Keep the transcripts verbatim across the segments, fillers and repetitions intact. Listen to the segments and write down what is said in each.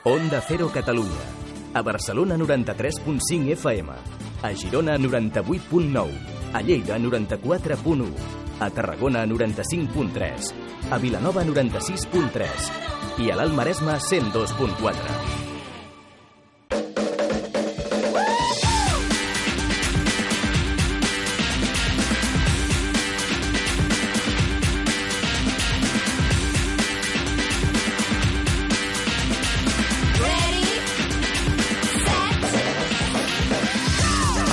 Onda Cero Catalunya. A Barcelona noranta-tres punt cinc F M. A Girona noranta-vuit punt nou. A Lleida noranta-quatre punt u. A Tarragona noranta-cinc punt tres. A Vilanova noranta-sis punt tres. I a l'Alt Maresme cent dos punt quatre.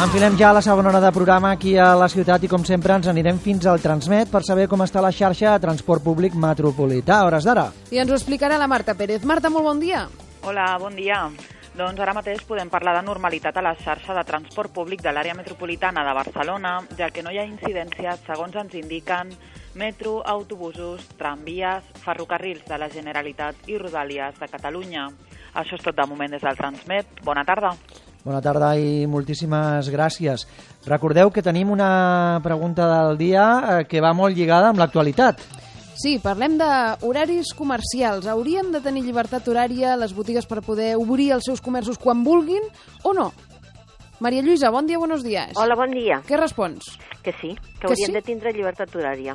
Enfilem ja la segona hora de programa aquí a la ciutat i, com sempre, ens anirem fins al Transmet per saber com està la xarxa de transport públic metropolità. A hores d'ara. I ens ho explicarà la Marta Pérez. Marta, molt bon dia. Hola, bon dia. Doncs ara mateix podem parlar de normalitat a la xarxa de transport públic de l'àrea metropolitana de Barcelona, ja que no hi ha incidències, segons ens indiquen metro, autobusos, tramvies, ferrocarrils de la Generalitat i Rodalies de Catalunya. Això és tot de moment des del Transmet. Bona tarda. Bona tarda i moltíssimes gràcies. Recordeu que tenim una pregunta del dia que va molt lligada amb l'actualitat. Sí, parlem d'horaris comercials. Haurien de tenir llibertat horària les botigues per poder obrir els seus comerços quan vulguin o no? Maria Lluïsa, bon dia, buenos días. Hola, bon dia. Què respons? Que sí, que, que haurien sí? de tindre llibertat horària.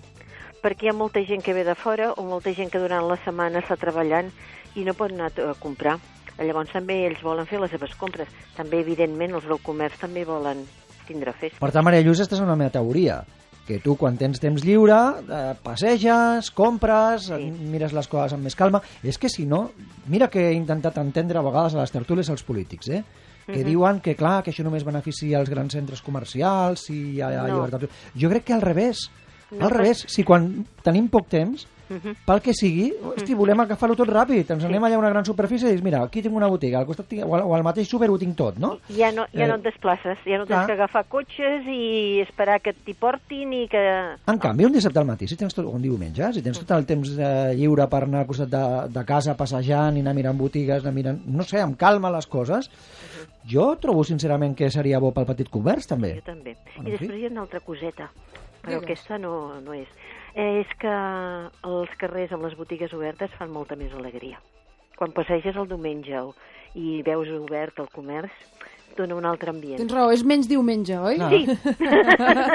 Perquè hi ha molta gent que ve de fora o molta gent que durant la setmana està treballant i no pot anar a comprar. Llavors també ells volen fer les seves compres. També, evidentment, els del comerç també volen tindre festa. Per tant, Maria Lluïsa, estàs en la meva teoria, que tu, quan tens temps lliure, eh, passeges, compres, sí. Mires les coses amb més calma. És que, si no, mira que he intentat entendre a vegades a les tertúlies els polítics, eh? que uh-huh. diuen que, clar, que això només beneficia els grans centres comercials, si hi ha no. llibertat. Jo crec que al revés. No, al revés, si quan tenim poc temps, Uh-huh. pel que sigui, hosti, volem agafar-ho tot ràpid, ens sí. anem allà a una gran superfície i dius, mira, aquí tinc una botiga, al costat tinc, o, al, o al mateix súper ho tinc tot, no? Ja no, ja eh, no et desplaces, ja no tens clar. que agafar cotxes i esperar que t'hi portin i que... En canvi, un dissabte al matí, si tens tot, o un diumenge, si tens tot el temps eh, lliure per anar al costat de, de casa passejant i anar mirant botigues, anar mirant, no sé, amb calma les coses, uh-huh. jo trobo sincerament que seria bo pel petit comerç, també. Jo també. Bueno, I després sí? hi ha una altra coseta, però Digues. aquesta no, no és. És que els carrers amb les botigues obertes fan molta més alegria. Quan passeges el diumenge i veus obert el comerç, dona un altre ambient. Tens raó, és menys diumenge, oi? No. Sí.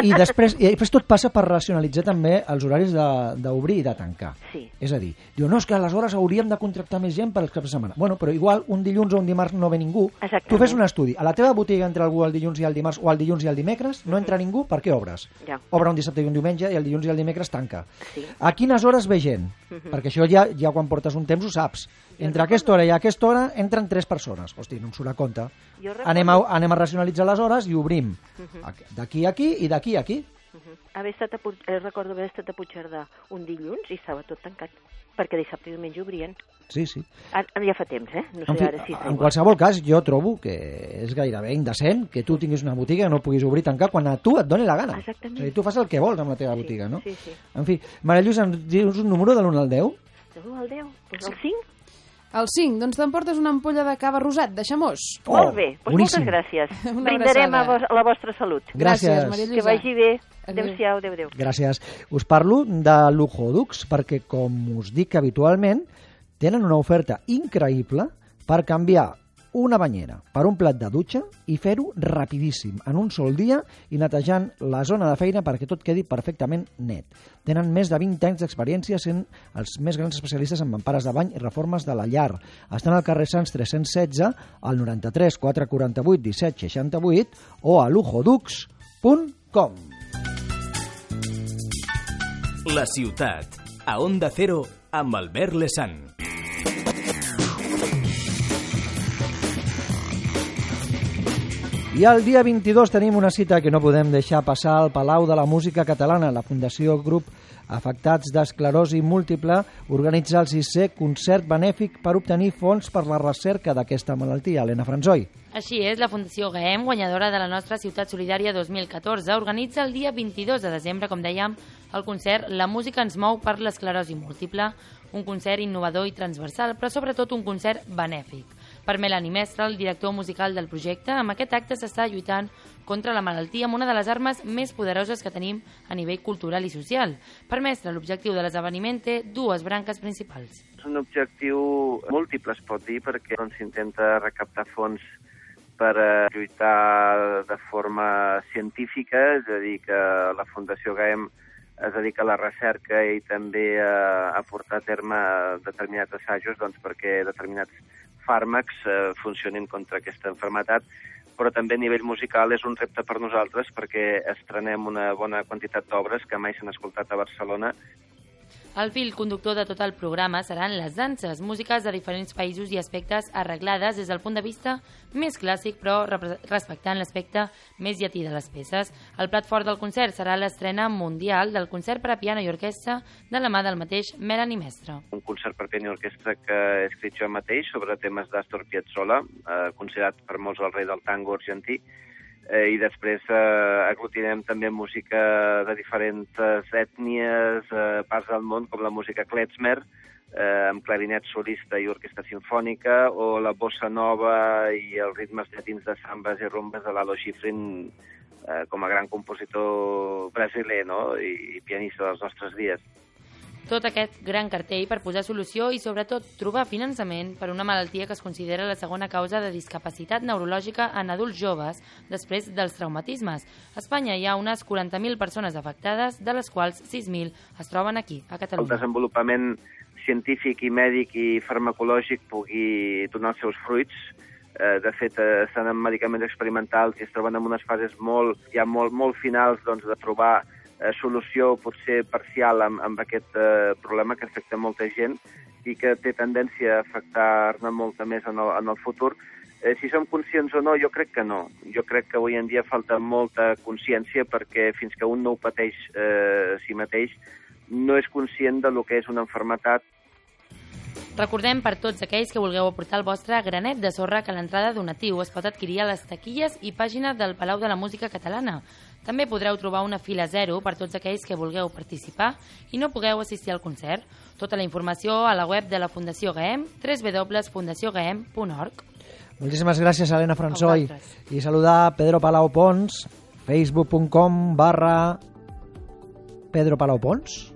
I després, i després tot passa per racionalitzar també els horaris d'obrir i de tancar. Sí. És a dir, diu, no, és que aleshores hauríem de contractar més gent per als caps de setmana. Bueno, però igual un dilluns o un dimarts no ve ningú. Exactament. Tu fes un estudi. A la teva botiga entra algú el dilluns i el dimarts o el dilluns i el dimecres, no entra ningú, per què obres? Ja. Obre un dissabte i un diumenge i el dilluns i el dimecres tanca. Sí. A quines hores ve gent? Uh-huh. Perquè això ja, ja quan portes un temps ho saps. Entre aquesta hora i aquesta hora entren tres persones. Hosti, no em surt a compte. Anem a, anem a racionalitzar les hores i obrim uh-huh. d'aquí a aquí i d'aquí a aquí. Uh-huh. Haver estat a, eh, recordo haver estat a Puigcerdà un dilluns i estava tot tancat, perquè dissabte i diumenge obrien. Sí, sí. Ara, ja fa temps, eh? No sé en fi, ara si en qualsevol cas, jo trobo que és gairebé indecent que tu tinguis una botiga i no puguis obrir i tancar quan a tu et doni la gana. Exactament. És a dir, tu fas el que vols amb la teva sí, botiga, no? Sí, sí. En fi, Maria Lluïsa, ens dius un número de l'un al deu? De l'un al deu? Doncs el cinc? El cinc, doncs t'emportes una ampolla de cava rosat, de Xamós. Oh, molt bé, doncs moltes gràcies. Brindarem a, vos, a la vostra salut. Gràcies. Gràcies, Maria Lluïsa. Que vagi bé. Adéu-siau, adéu, adéu. Gràcies. Us parlo de Luxodux perquè, com us dic habitualment, tenen una oferta increïble per canviar una banyera per un plat de dutxa i fer-ho rapidíssim, en un sol dia, i netejant la zona de feina perquè tot quedi perfectament net. Tenen més de vint anys d'experiència sent els més grans especialistes en mampares de bany i reformes de la llar. Estan al carrer Sants tres-cents setze, al noranta-tres quatre quaranta-vuit disset seixanta-vuit o a luxodux punt com. La ciutat, a Onda Cero, amb Albert Lesan. I el dia vint-i-dos tenim una cita que no podem deixar passar al Palau de la Música Catalana. La Fundació Grup Afectats d'Esclerosi Múltiple organitza el sisè concert benèfic per obtenir fons per la recerca d'aquesta malaltia. Helena Franzoi. Així és, la Fundació G E M, guanyadora de la nostra Ciutat Solidària dos mil catorze, organitza el dia vint-i-dos de desembre, com dèiem, el concert La música ens mou per l'esclerosi múltiple, un concert innovador i transversal, però sobretot un concert benèfic, Per Melanie Mestre, el director musical del projecte, amb aquest acte s'està lluitant contra la malaltia amb una de les armes més poderoses que tenim a nivell cultural i social. Per Mestre, l'objectiu de l'esdeveniment té dues branques principals. És un objectiu múltiple, es pot dir, perquè s'intenta doncs, recaptar fons per eh, lluitar de forma científica, és a dir, que la Fundació Gaem es dedica a la recerca i també a, a portar a terme determinats assajos doncs, perquè determinats fàrmacs eh, funcionin contra aquesta malaltia, però també a nivell musical és un repte per nosaltres perquè estrenem una bona quantitat d'obres que mai s'han escoltat a Barcelona. El fil conductor de tot el programa seran les danses, músiques de diferents països i aspectes arreglades des del punt de vista més clàssic, però respectant l'aspecte més llatí de les peces. El plat fort del concert serà l'estrena mundial del concert per a piano i orquestra de la mà del mateix Melanie Mestre. Un concert per piano i orquestra que he escrit jo mateix sobre temes d'Astor Piazzolla, eh, considerat per molts el rei del tango argentí, Eh, i després eh, aglutinem també música de diferents ètnies, eh, parts del món, com la música klezmer, eh, amb clarinet solista i orquestra sinfònica, o la bossa nova i els ritmes llatins de sambes i rumbes de Lalo Schifrin, eh, com a gran compositor brasiler, no? I, i pianista dels nostres dies. Tot aquest gran cartell per posar solució i, sobretot, trobar finançament per una malaltia que es considera la segona causa de discapacitat neurològica en adults joves després dels traumatismes. A Espanya hi ha unes quaranta mil persones afectades, de les quals sis mil es troben aquí, a Catalunya. El desenvolupament científic i mèdic i farmacològic pugui donar els seus fruits. Eh, de fet, eh, estan en medicaments experimentals i es troben en unes fases molt, ja molt, molt finals doncs, de trobar Eh, solució potser parcial amb, amb aquest eh, problema que afecta molta gent i que té tendència a afectar-ne molta més en el, en el futur. Eh, si som conscients o no, jo crec que no. Jo crec que avui en dia falta molta consciència perquè fins que un no ho pateix eh, a si mateix no és conscient de lo que és una malaltia. Recordem per tots aquells que vulgueu aportar el vostre granet de sorra que l'entrada donatiu es pot adquirir a les taquilles i pàgina del Palau de la Música Catalana. També podreu trobar una fila zero per tots aquells que vulgueu participar i no pugueu assistir al concert. Tota la informació a la web de la Fundació Gaem, w w w punt fundació gaem punt org. Moltíssimes gràcies, Helena Françoy. I saludar Pedro Palau Pons, facebook punt com barra Pedro Palau Pons.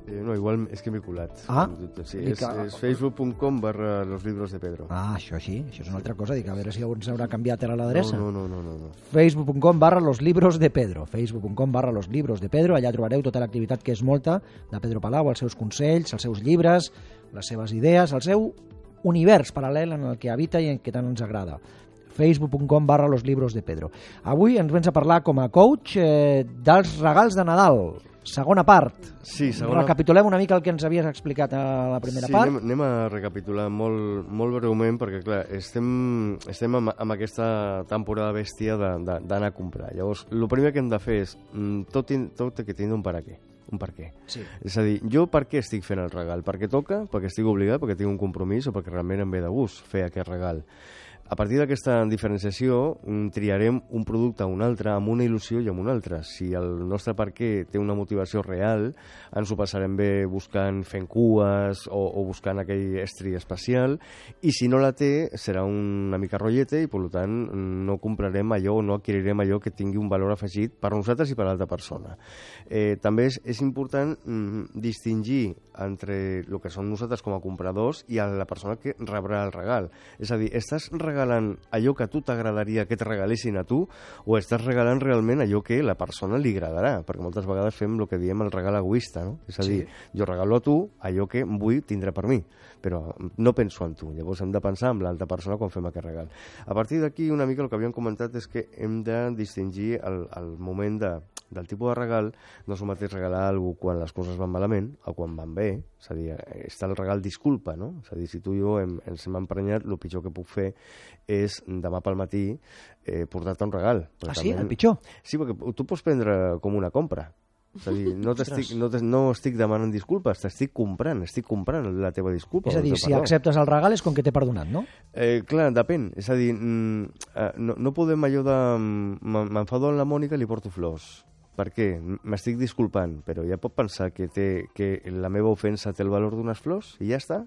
Eh, no, igual és que m'he colat. Ah, sí, és, és facebook punt com barra los libros de Pedro. Ah, això sí, això és una altra cosa. Dic, a veure si algú ens haurà canviat ara l'adreça. No, no, no, no, no. facebook punt com barra los libros de Pedro. facebook punt com barra los libros de Pedro. Allà trobareu tota l'activitat que és molta de Pedro Palau, els seus consells, els seus llibres, les seves idees, el seu univers paral·lel en el que habita i en què tant ens agrada. facebook punt com barra los libros de Pedro. Avui ens vens a parlar com a coach eh, dels regals de Nadal. Segona part. Sí, segona... Recapitulem una mica el que ens havies explicat a la primera sí, part. Sí, anem, anem a recapitular molt, molt breument, perquè, clar, estem, estem amb, amb aquesta temporada bèstia d'anar a comprar. Llavors, el primer que hem de fer és tot, tot que tingui un per a què. Un per què. Sí. És a dir, jo per què estic fent el regal? Perquè toca? Perquè estic obligat? Perquè tinc un compromís? O perquè realment em ve de gust fer aquest regal? A partir d'aquesta diferenciació triarem un producte a un altre amb una il·lusió i amb un altre. Si el nostre per què té una motivació real, ens ho passarem bé buscant fent cues o, o buscant aquell estri especial, i si no la té serà una mica rotllete i per tant no comprarem allò o no adquirirem allò que tingui un valor afegit per nosaltres i per l'altra persona. Eh, també és, és important mm, distingir entre el que som nosaltres com a compradors i a la persona que rebrà el regal. És a dir, estàs regalant allò que a tu t'agradaria que et regalessin a tu o estàs regalant realment allò que a la persona li agradarà? Perquè moltes vegades fem el que diem el regal egoista, no? És a dir, sí. Jo regalo a tu allò que vull tindre per mi, però no penso en tu. Llavors hem de pensar en l'altra persona quan fem aquest regal. A partir d'aquí, una mica el que havíem comentat és que hem de distingir el, el moment de, del tipus de regal. No és el mateix regalar alguna cosa quan les coses van malament o quan van bé. És a dir, està el regal disculpa, no? És a dir, si tu i jo hem, ens hem emprenyat, el pitjor que puc fer és demà pel matí eh, portar-te un regal. Ah, sí? El pitjor? Sí, perquè tu pots prendre com una compra. És a dir, no, estic, no, no estic demanant disculpes, t'estic comprant, estic comprant la teva disculpa. És a dir, si acceptes el regal és com que t'he perdonat, no? Eh, clar, depèn. És a dir, no, no podem allò de... M'enfado amb la Mònica i li porto flors. Per què? M'estic disculpant, però ja pot pensar que, té, que la meva ofensa té el valor d'unes flors i ja està?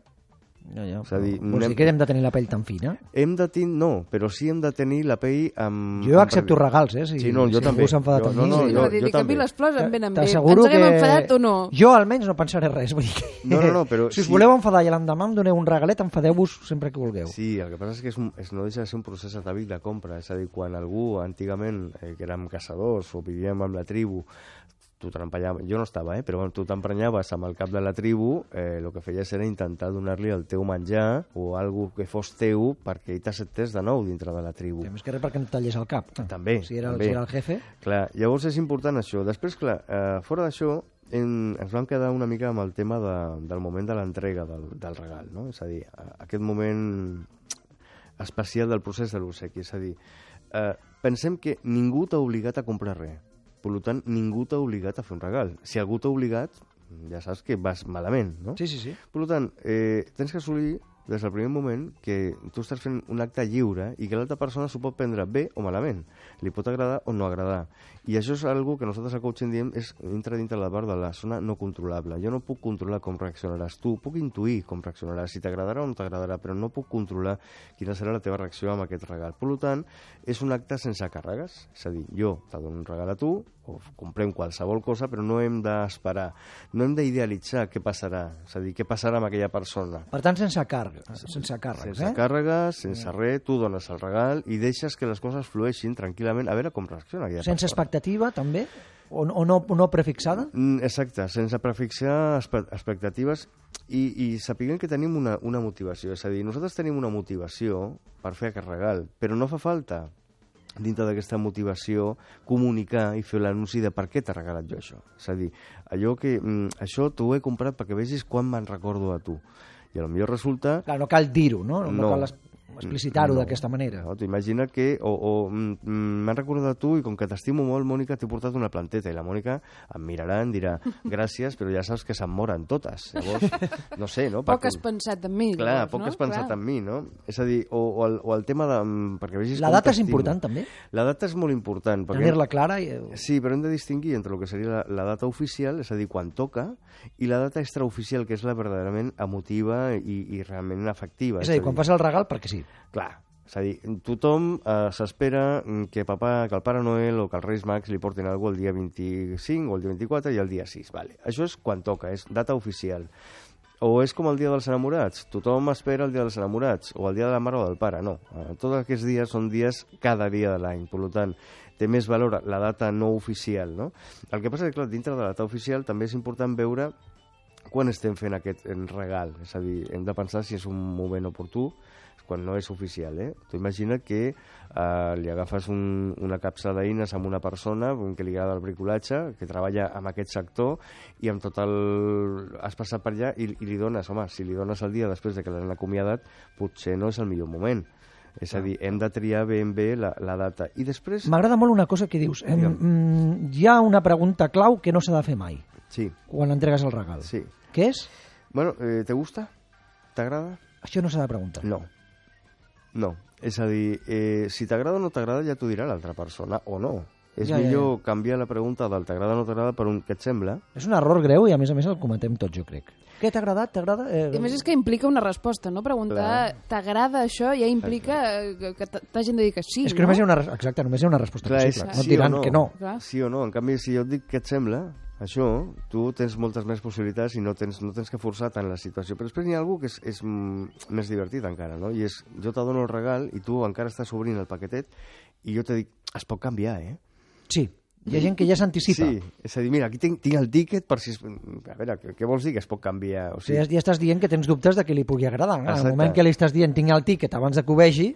Ja, ja. És a dir, Vols anem... dir que hem de tenir la pell tan fina? Hem de tenir, no, però sí hem de tenir la pell amb... Jo accepto regals, eh? Si, sí, no, jo si també. algú s'ha enfadat jo, amb no, mi. no, Sí, jo, no, dir jo que a mi també. les flors em venen bé. Ens T'asseguro haguem que... enfadat o no? Jo almenys no pensaré res. Vull dir que... No, no, no, però si us sí. voleu enfadar i l'endemà em doneu un regalet, enfadeu-vos sempre que vulgueu. Sí, el que passa és que és un, és, no deixa de ser un procés atàvic de compra. És a dir, quan algú, antigament, eh, que érem caçadors o vivíem amb la tribu, tu t'empenyaves, jo no estava, eh, però tu t'emprenyaves amb el cap de la tribu, eh, el que feies era intentar donar-li el teu menjar o algo que fos teu perquè ell t'acceptés de nou dintre de la tribu. Sí, més que res perquè no et tallés el cap. També, Si era, també. si era el jefe... Clar, llavors és important això. Després, clar, eh, fora d'això, en, ens vam quedar una mica amb el tema de, del moment de l'entrega del, del regal, no? És a dir, aquest moment especial del procés de l'obsequi. És a dir, eh, pensem que ningú t'ha obligat a comprar res. Per tant, ningú t'ha obligat a fer un regal. Si algú t'ha obligat, ja saps que vas malament, no? Sí, sí, sí. Per tant, eh, tens que assolir des del primer moment que tu estàs fent un acte lliure i que l'altra persona s'ho pot prendre bé o malament. Li pot agradar o no agradar. I això és algo que nosaltres a coaching diem és entra dintre la part de la zona no controlable. Jo no puc controlar com reaccionaràs tu, puc intuir com reaccionaràs, si t'agradarà o no t'agradarà, però no puc controlar quina serà la teva reacció amb aquest regal. Per tant, és un acte sense càrregues. És a dir, jo te dono un regal a tu, o comprem qualsevol cosa, però no hem d'esperar, no hem d'idealitzar què passarà, és a dir, què passarà amb aquella persona. Per tant, sense càrrega, sense càrrecs, Sense eh? càrregues, sense res, tu dones el regal i deixes que les coses flueixin tranquil·lament, a veure com reacciona aquella Sense persona. expectativa, també? O, o, no, o no prefixada? Mm, Exacte, sense prefixar espe- expectatives i, i sapiguem que tenim una, una motivació, és a dir, nosaltres tenim una motivació per fer aquest regal, però no fa falta dintre d'aquesta motivació comunicar i fer l'anunci de per què t'he regalat jo això. És a dir, allò que mm, això t'ho he comprat perquè vegis quan me'n recordo a tu. I potser resulta... Clar, no cal dir-ho, no? No, No. cal es- explicitar-ho No. d'aquesta manera. No, tu imagina que, o, o mm, mm, m'han recordat a tu i com que t'estimo molt, Mònica, t'he portat una planteta i la Mònica em mirarà, em dirà gràcies, però ja saps que se'n moren totes. Llavors, no sé, no? Poc Perquè- has pensat en mi. Clar, llavors, poc no? has pensat Clar. en mi, no? És a dir, o, o, el, o el tema de... mm, Perquè vegis La com data és t'estimo. important, també? La data és molt important. perquè- Tenir-la clara i... Sí, però hem de distingir entre el que seria la, la data oficial, és a dir, quan toca, i la data extraoficial, que és la verdaderament emotiva i, i realment afectiva. És a dir, quan fas el regal, perquè sí. Clar, és a dir, tothom eh, s'espera que papa, que el Pare Noel o que els Reis Mags li portin alguna cosa el dia vint-i-cinc o el dia vint-i-quatre i el dia sis. Vale. Això és quan toca, és data oficial. O és com el dia dels enamorats. Tothom espera el dia dels enamorats o el dia de la mare o del pare. No. Eh, tots aquests dies són dies cada dia de l'any. Per tant, té més valor la data no oficial, no? El que passa és que, clar, dintre de la data oficial també és important veure quan estem fent aquest regal. És a dir, hem de pensar si és un moment oportú quan no és oficial, eh? Tu imagina que eh, li agafes un, una capsa d'eines amb una persona que li agrada el bricolatge, que treballa en aquest sector i amb tot el... has passat per allà i, i li dones, home, si li dones el dia després de que l'han acomiadat, potser no és el millor moment. És a dir, hem de triar ben bé la, la data. I després... M'agrada molt una cosa que dius. Em, mm, hi ha una pregunta clau que no s'ha de fer mai Sí, quan entregues el regal. sí. Què és? Bueno, eh, ¿te gusta? ¿T'agrada? Això no s'ha de preguntar. No. No. És a dir, eh, si t'agrada o no t'agrada ja t'ho dirà l'altra persona, o no. És Ja, ja, millor canviar la pregunta del t'agrada o no t'agrada per un què et sembla. És un error greu i a més a més el cometem tots, jo crec. Què t'ha agradat? T'agrada? Eh... I a més és que implica una resposta, no? Preguntar t'agrada això ja implica eh, que t- t'hagin de dir que sí, És que no? només hi ha una, res- exacte, només hi ha una resposta Clar, és possible. No et sí o diran no. que no. Clar. Sí o no. En canvi, si jo et dic què et sembla, això, tu tens moltes més possibilitats i no tens, no tens que forçar tant la situació. Però després hi ha algú que és, és mm, més divertit encara, no? I és, jo te dono el regal i tu encara estàs obrint el paquetet i jo te dic, es pot canviar, eh? Sí, hi ha gent que ja s'anticipa. Sí, és a dir, mira, aquí tinc, tinc el tíquet per si... Es... A veure, què, què vols dir que es pot canviar? O Sí, sigui, ja, ja estàs dient que tens dubtes de que li pugui agradar. En el Exacte. moment que li estàs dient tinc el tíquet abans de que ho vegi,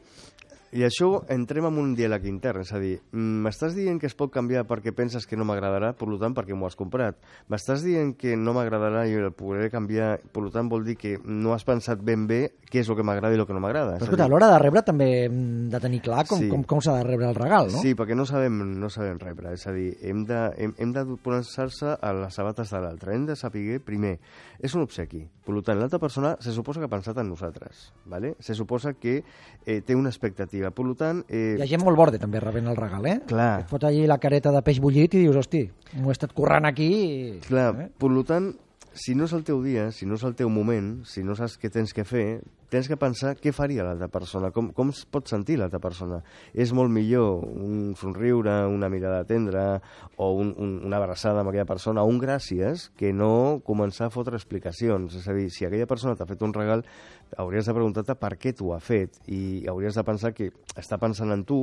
I això entrem en un diàleg intern, és a dir, m'estàs dient que es pot canviar perquè penses que no m'agradarà, per tant, perquè m'ho has comprat. M'estàs dient que no m'agradarà i el podré canviar, per tant, vol dir que no has pensat ben bé què és el que m'agrada i el que no m'agrada. però escolta, a l'hora de rebre també hem de tenir clar com, Sí. com, com s'ha de rebre el regal, no? Sí, perquè no sabem, no sabem rebre, és a dir, hem de, hem, hem de posar-se a les sabates de l'altre, hem de saber, primer, és un obsequi, per tant, l'altra persona se suposa que ha pensat en nosaltres, ¿vale? Se suposa que eh, té una expectativa, per tant... Eh, Hi ha gent molt borde també rebent el regal, eh? Clar. Et fot allí la careta de peix bullit i dius, hosti, m'ho he estat currant aquí i... Clar, Eh? per tant, si no és el teu dia, si no és el teu moment, si no saps què tens que fer, tens que pensar què faria l'altra persona, com, com es pot sentir l'altra persona. És molt millor un somriure, una mirada tendra o un, un, una abraçada amb aquella persona, un gràcies, que no començar a fotre explicacions. És a dir, si aquella persona t'ha fet un regal, hauries de preguntar-te per què t'ho ha fet i hauries de pensar que està pensant en tu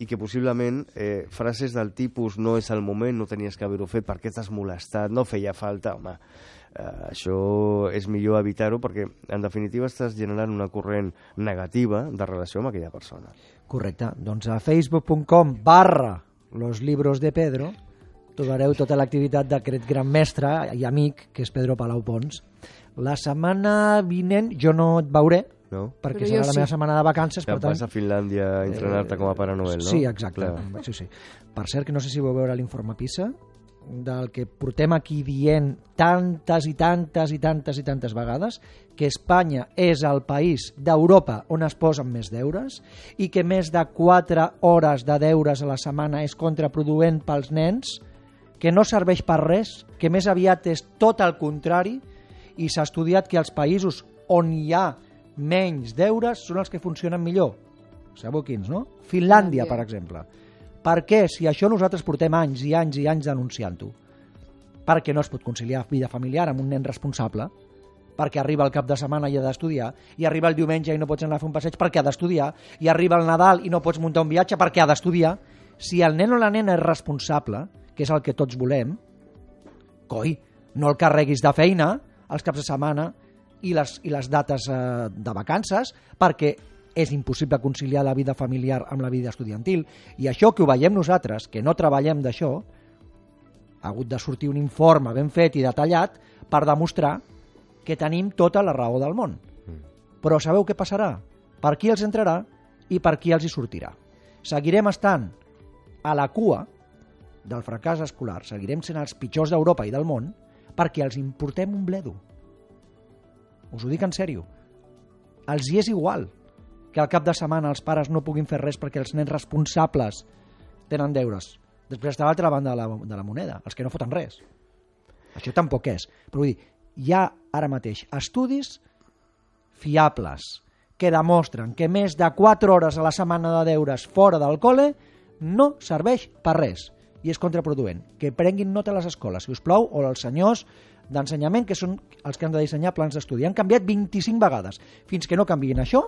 i que possiblement eh, frases del tipus no és el moment, no tenies que haver-ho fet, per què t'has molestat, no feia falta, home... Uh, això és millor evitar-ho perquè, en definitiva, estàs generant una corrent negativa de relació amb aquella persona. Correcte. Doncs a facebook punt com barra los libros de Pedro trobareu tota l'activitat d'aquest gran mestre i amic, que és Pedro Palau Pons. La setmana vinent jo no et veuré, no? perquè serà la sí. meva setmana de vacances. Ja per tant... vas a Finlàndia a entrenar-te eh, com a Pare Noel, no? Sí, exacte. Sí, sí. Per cert, que no sé si vau veure l'informe PISA, del que portem aquí dient tantes i tantes i tantes i tantes vegades, que Espanya és el país d'Europa on es posen més deures i que més de quatre hores de deures a la setmana és contraproduent pels nens, que no serveix per res, que més aviat és tot el contrari, i s'ha estudiat que els països on hi ha menys deures són els que funcionen millor. Sabeu quins, no? Finlàndia, per exemple. Per què, si això nosaltres portem anys i anys i anys denunciant-ho? Perquè no es pot conciliar vida familiar amb un nen responsable, perquè arriba el cap de setmana i ha d'estudiar, i arriba el diumenge i no pots anar a fer un passeig perquè ha d'estudiar, i arriba el Nadal i no pots muntar un viatge perquè ha d'estudiar. Si el nen o la nena és responsable, que és el que tots volem, coi, no el carreguis de feina els caps de setmana i les, i les dates eh, de vacances, perquè és impossible conciliar la vida familiar amb la vida estudiantil. I això que ho veiem nosaltres, que no treballem d'això, ha hagut de sortir un informe ben fet i detallat per demostrar que tenim tota la raó del món. Però sabeu què passarà? Per qui els entrarà i per qui els hi sortirà. Seguirem estant a la cua del fracàs escolar, seguirem sent els pitjors d'Europa i del món perquè els importem un bledo. Us ho dic en sèrio. Els hi és igual que al cap de setmana els pares no puguin fer res perquè els nens responsables tenen deures. Després està a l'altra banda de la, de la moneda, els que no foten res. Això tampoc és. Però vull dir, hi ha ara mateix estudis fiables que demostren que més de quatre hores a la setmana de deures fora del col·le no serveix per res i és contraproduent. Que prenguin nota a les escoles, si us plau, o els senyors d'ensenyament, que són els que han de dissenyar plans d'estudi. Han canviat vint-i-cinc vegades. Fins que no canviïn això,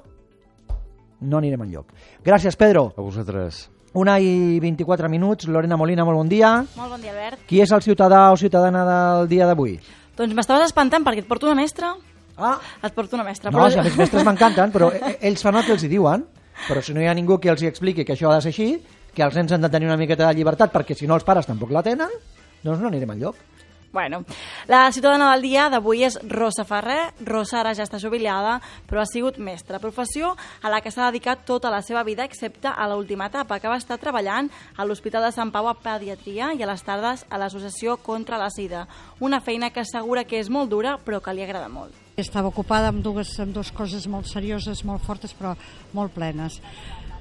no anirem enlloc. Gràcies, Pedro. A vosaltres. Una i vint-i-quatre minuts. Lorena Molina, molt bon dia. Molt bon dia, Albert. Qui és el ciutadà o ciutadana del dia d'avui? Doncs m'estaves espantant perquè et porto una mestra. Ah. Et porto una mestra. No, però... si els mestres m'encanten, però ells fan el que els hi diuen. Però si no hi ha ningú que els hi expliqui que això ha de ser així, que els nens han de tenir una miqueta de llibertat, perquè si no els pares tampoc la tenen, doncs no anirem enlloc. Bueno, la ciutadana del dia d'avui és Rosa Ferrer. Rosa ara ja està jubilada, però ha sigut mestra, professió a la que s'ha dedicat tota la seva vida, excepte a l'última etapa, que va estar treballant a l'Hospital de Sant Pau a Pediatria i a les tardes a l'Associació contra la Sida. Una feina que assegura que és molt dura, però que li agrada molt. Estava ocupada amb dues, amb dues coses molt serioses, molt fortes, però molt plenes.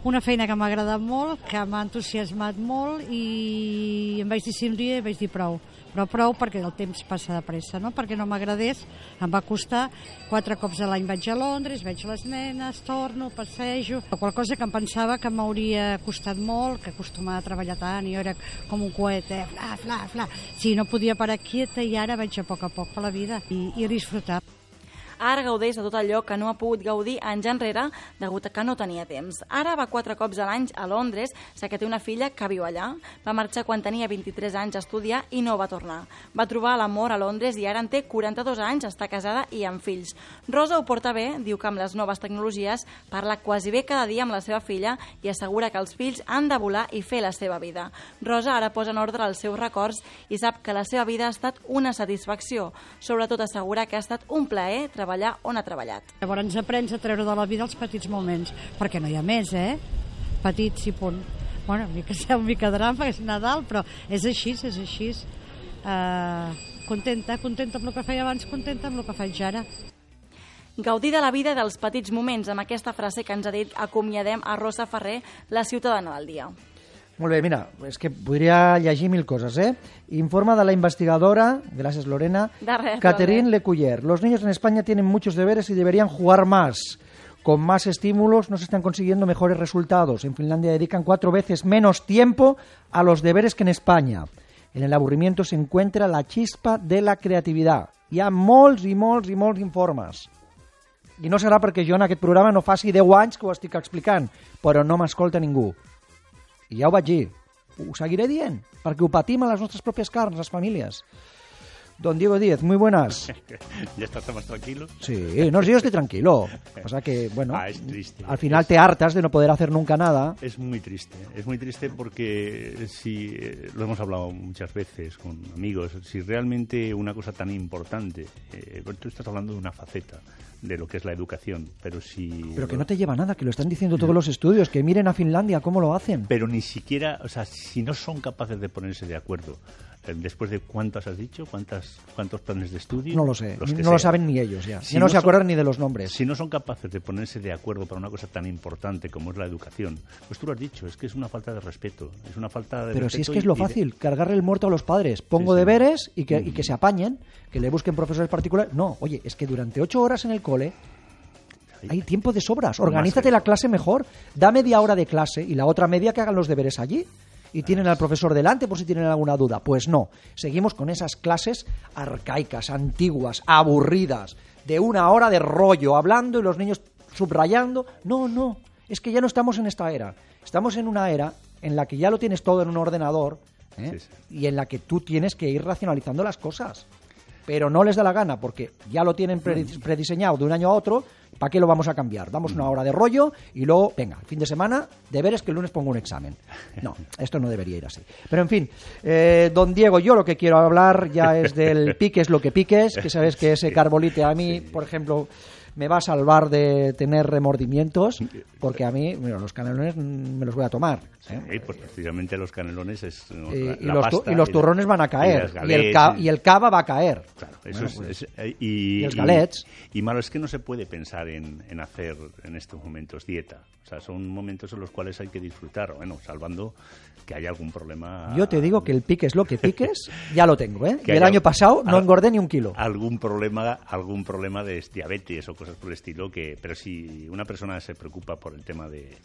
Una feina que m'ha agradat molt, que m'ha entusiasmat molt i em vaig dir sí un dia i vaig dir prou. Però prou perquè el temps passa de pressa, no? Perquè no m'agradés, em va costar. Quatre cops a l'any vaig a Londres, veig les nenes, torno, passejo. Qual cosa que em pensava que m'hauria costat molt, que acostumava a treballar tant, i jo era com un coet, eh? Fla, fla, fla. Sí, no podia parar quieta i ara vaig a poc a poc per la vida i, i disfrutar. Ara gaudeix de tot allò que no ha pogut gaudir anys enrere degut a que no tenia temps. Ara va quatre cops a l'any a Londres, ja que té una filla que viu allà. Va marxar quan tenia vint-i-tres anys a estudiar i no va tornar. Va trobar l'amor a Londres i ara en té quaranta-dos anys, està casada i amb fills. Rosa ho porta bé, diu que amb les noves tecnologies parla quasi bé cada dia amb la seva filla i assegura que els fills han de volar i fer la seva vida. Rosa ara posa en ordre els seus records i sap que la seva vida ha estat una satisfacció. Sobretot assegura que ha estat un plaer treballar treballar on ha treballat. Llavors aprens a treure de la vida els petits moments, perquè no hi ha més, eh? Petits i punt. Bueno, una mica, una mica drama, és Nadal, però és així, és així. Uh, contenta, contenta amb el que feia abans, contenta amb el que faig ara. Gaudir de la vida i dels petits moments. Amb aquesta frase que ens ha dit acomiadem a Rosa Ferrer, la ciutadana del dia. Molt bé, mira, és que podria llegir mil coses, ¿eh? Informa de la investigadora, gracias Lorena, De res, Catherine Lorena. Lecuyer. Los niños en España tienen muchos deberes y deberían jugar más. Con más estímulos no se están consiguiendo mejores resultados. En Finlandia dedican cuatro veces menos tiempo a los deberes que en España. En el aburrimiento se encuentra la chispa de la creativitat. Hi ha molts i molts i molts informes. I no serà perquè jo en aquest programa no faci deu anys que ho estic explicant, però no m'escolta ningú. I ja ho vaig dir. Ho seguiré dient, perquè ho patim a les nostres pròpies carns, les famílies. Don Diego Díez, muy buenas. ¿Ya estás más tranquilo? Sí, no, yo estoy tranquilo. Pasa que, bueno, ah, es triste. al final es... te hartas de no poder hacer nunca nada. Es muy triste, es muy triste porque si eh, lo hemos hablado muchas veces con amigos, si realmente una cosa tan importante, eh, tú estás hablando de una faceta de lo que es la educación, pero si... Pero que no te lleva nada, que lo están diciendo todos los estudios, que miren a Finlandia cómo lo hacen. Pero ni siquiera, o sea, si no son capaces de ponerse de acuerdo, después de cuántas has dicho, cuántas cuántos planes de estudio, no lo sé, los que no sean. Lo saben ni ellos ya, si ya no, no se son, acuerdan ni de los nombres. Si no son capaces de ponerse de acuerdo para una cosa tan importante como es la educación, pues tú lo has dicho, es que es una falta de respeto, es una falta de Pero respeto si es que es lo y, y de... fácil, cargarle el muerto a los padres, pongo sí, sí. deberes y que, mm. y que se apañen, que le busquen profesores particulares. No, oye, es que durante ocho horas en el cole hay tiempo de sobras, organízate la clase mejor, da media hora de clase y la otra media que hagan los deberes allí. Y tienen al profesor delante por si tienen alguna duda. Pues no, seguimos con esas clases arcaicas, antiguas, aburridas, de una hora de rollo, hablando y los niños subrayando. No, no, es que ya no estamos en esta era. Estamos en una era en la que ya lo tienes todo en un ordenador, ¿eh? sí, sí. y en la que tú tienes que ir racionalizando las cosas. Pero no les da la gana porque ya lo tienen prediseñado de un año a otro. ¿Para qué lo vamos a cambiar? Damos una hora de rollo y luego, venga, fin de semana, deberes que el lunes pongo un examen. No, esto no debería ir así. Pero en fin, eh, don Diego, yo lo que quiero hablar ya es del piques lo que piques, que sabes que ese carbolite a mí, por ejemplo, me va a salvar de tener remordimientos, porque a mí, mira, los canelones me los voy a tomar. ¿eh? Sí, pues precisamente los canelones es no, y, la, y, la los, pasta, y los turrones y van a caer, y, y, el ca y el cava va a caer. Claro, eso bueno, es, pues, es, y, y los galets. Y, y malo es que no se puede pensar en, en hacer en estos momentos dieta. O sea, son momentos en los cuales hay que disfrutar, bueno, salvando que haya algún problema. Yo te digo que el piques lo que piques, ya lo tengo, ¿eh? Que y el año pasado no engordé ni un kilo. Algún problema, algún problema de diabetes o cosas por el estilo, que pero si una persona se preocupa por el tema de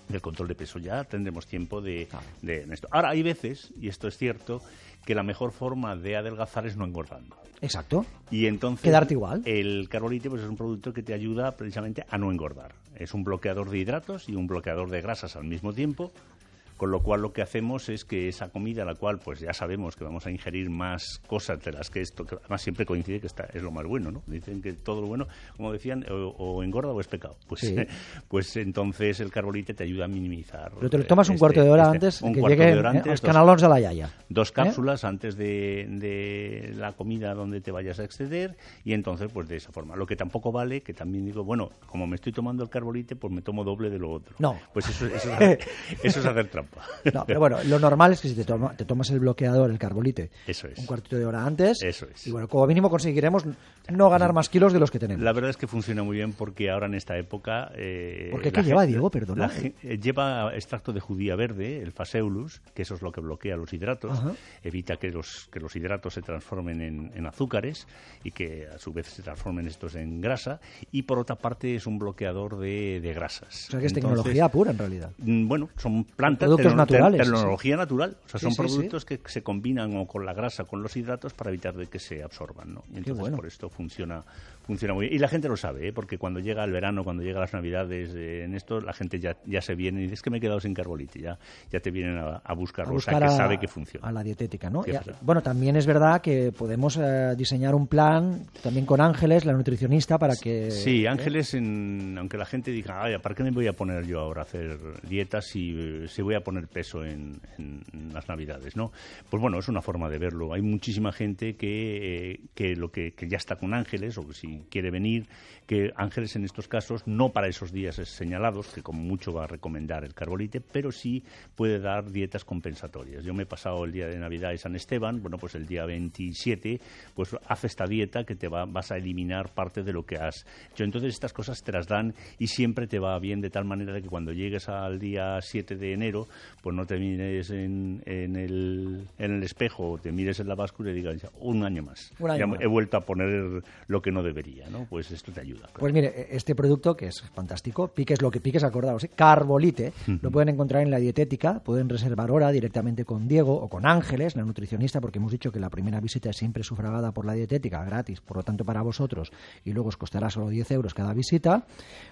del control de peso, ya tendremos tiempo de, ah. de esto. Ahora, hay veces, y esto es cierto, que la mejor forma de adelgazar es no engordando. Exacto. Y entonces quedarte igual. El carbolite pues, es un producto que te ayuda precisamente a no engordar. Es un bloqueador de hidratos y un bloqueador de grasas al mismo tiempo. Con lo cual lo que hacemos es que esa comida, la cual pues ya sabemos que vamos a ingerir más cosas de las que esto, que además siempre coincide que está, es lo más bueno, ¿no? Dicen que todo lo bueno, como decían, o, o engorda o es pecado. Pues, sí. pues entonces el carbolite te ayuda a minimizar. Pero te lo tomas un este, cuarto de hora este, antes un que cuarto lleguen de hora antes, eh, los dos, canalons de la yaya. Dos cápsulas ¿Eh? antes de, de la comida donde te vayas a exceder y entonces pues de esa forma. Lo que tampoco vale, que también digo, bueno, como me estoy tomando el carbolite, pues me tomo doble de lo otro. No. Pues eso, eso, es, hacer, eso es hacer trampa. No, pero bueno, lo normal es que si te, toma, te tomas el bloqueador, el carbolite, eso es. un cuartito de hora antes, eso es. y bueno, como mínimo conseguiremos no ganar más kilos de los que tenemos. La verdad es que funciona muy bien porque ahora en esta época... Eh, ¿Por qué? ¿Qué lleva, Diego? Perdona. La, eh, lleva extracto de judía verde, el Phaseolus, que eso es lo que bloquea los hidratos, Ajá. evita que los, que los hidratos se transformen en, en azúcares y que a su vez se transformen estos en grasa, y por otra parte es un bloqueador de, de grasas. O sea que es Entonces, tecnología pura en realidad. Bueno, son plantas, productos te naturales. Tecnología sí. natural. O sea, son sí, sí, productos sí. que se combinan o con la grasa, con los hidratos para evitar de que se absorban, ¿no? Y entonces bueno. por esto funciona funciona muy bien. Y la gente lo sabe, ¿eh? Porque cuando llega el verano, cuando llega las navidades, eh, en esto la gente ya, ya se viene y dice, es que me he quedado sin carbolite, ya, ya te vienen a, a buscarlo, a buscar o sea, que a, sabe que funciona. A la dietética, ¿no? Sí, ya, bueno, también es verdad que podemos eh, diseñar un plan también con Ángeles, la nutricionista, para que... Sí, ¿eh? Ángeles, en, aunque la gente diga, ay, ¿para qué me voy a poner yo ahora a hacer dietas si, si voy a poner peso en, en, en las navidades, ¿no? Pues bueno, es una forma de verlo. Hay muchísima gente que, eh, que, lo que, que ya está con Ángeles, o que si quiere venir, que Ángeles en estos casos, no para esos días señalados, que como mucho va a recomendar el carbolite, pero sí puede dar dietas compensatorias. Yo me he pasado el día de Navidad y San Esteban, bueno, pues el día veintisiete, pues haz esta dieta que te va, vas a eliminar parte de lo que has hecho. Entonces estas cosas te las dan y siempre te va bien de tal manera que cuando llegues al día siete de enero, pues no te mires en, en, el, en el espejo o te mires en la báscula y digas, un año más. Un año ya más. He vuelto a poner lo que no debería, ¿no? Pues esto te ayuda. Claro. Pues mire, este producto que es fantástico, piques lo que piques, acordaos, ¿eh? Carbolite, uh-huh. Lo pueden encontrar en la dietética, pueden reservar hora directamente con Diego o con Ángeles, la nutricionista, porque hemos dicho que la primera visita es siempre sufragada por la dietética, gratis, por lo tanto para vosotros, y luego os costará solo diez euros cada visita.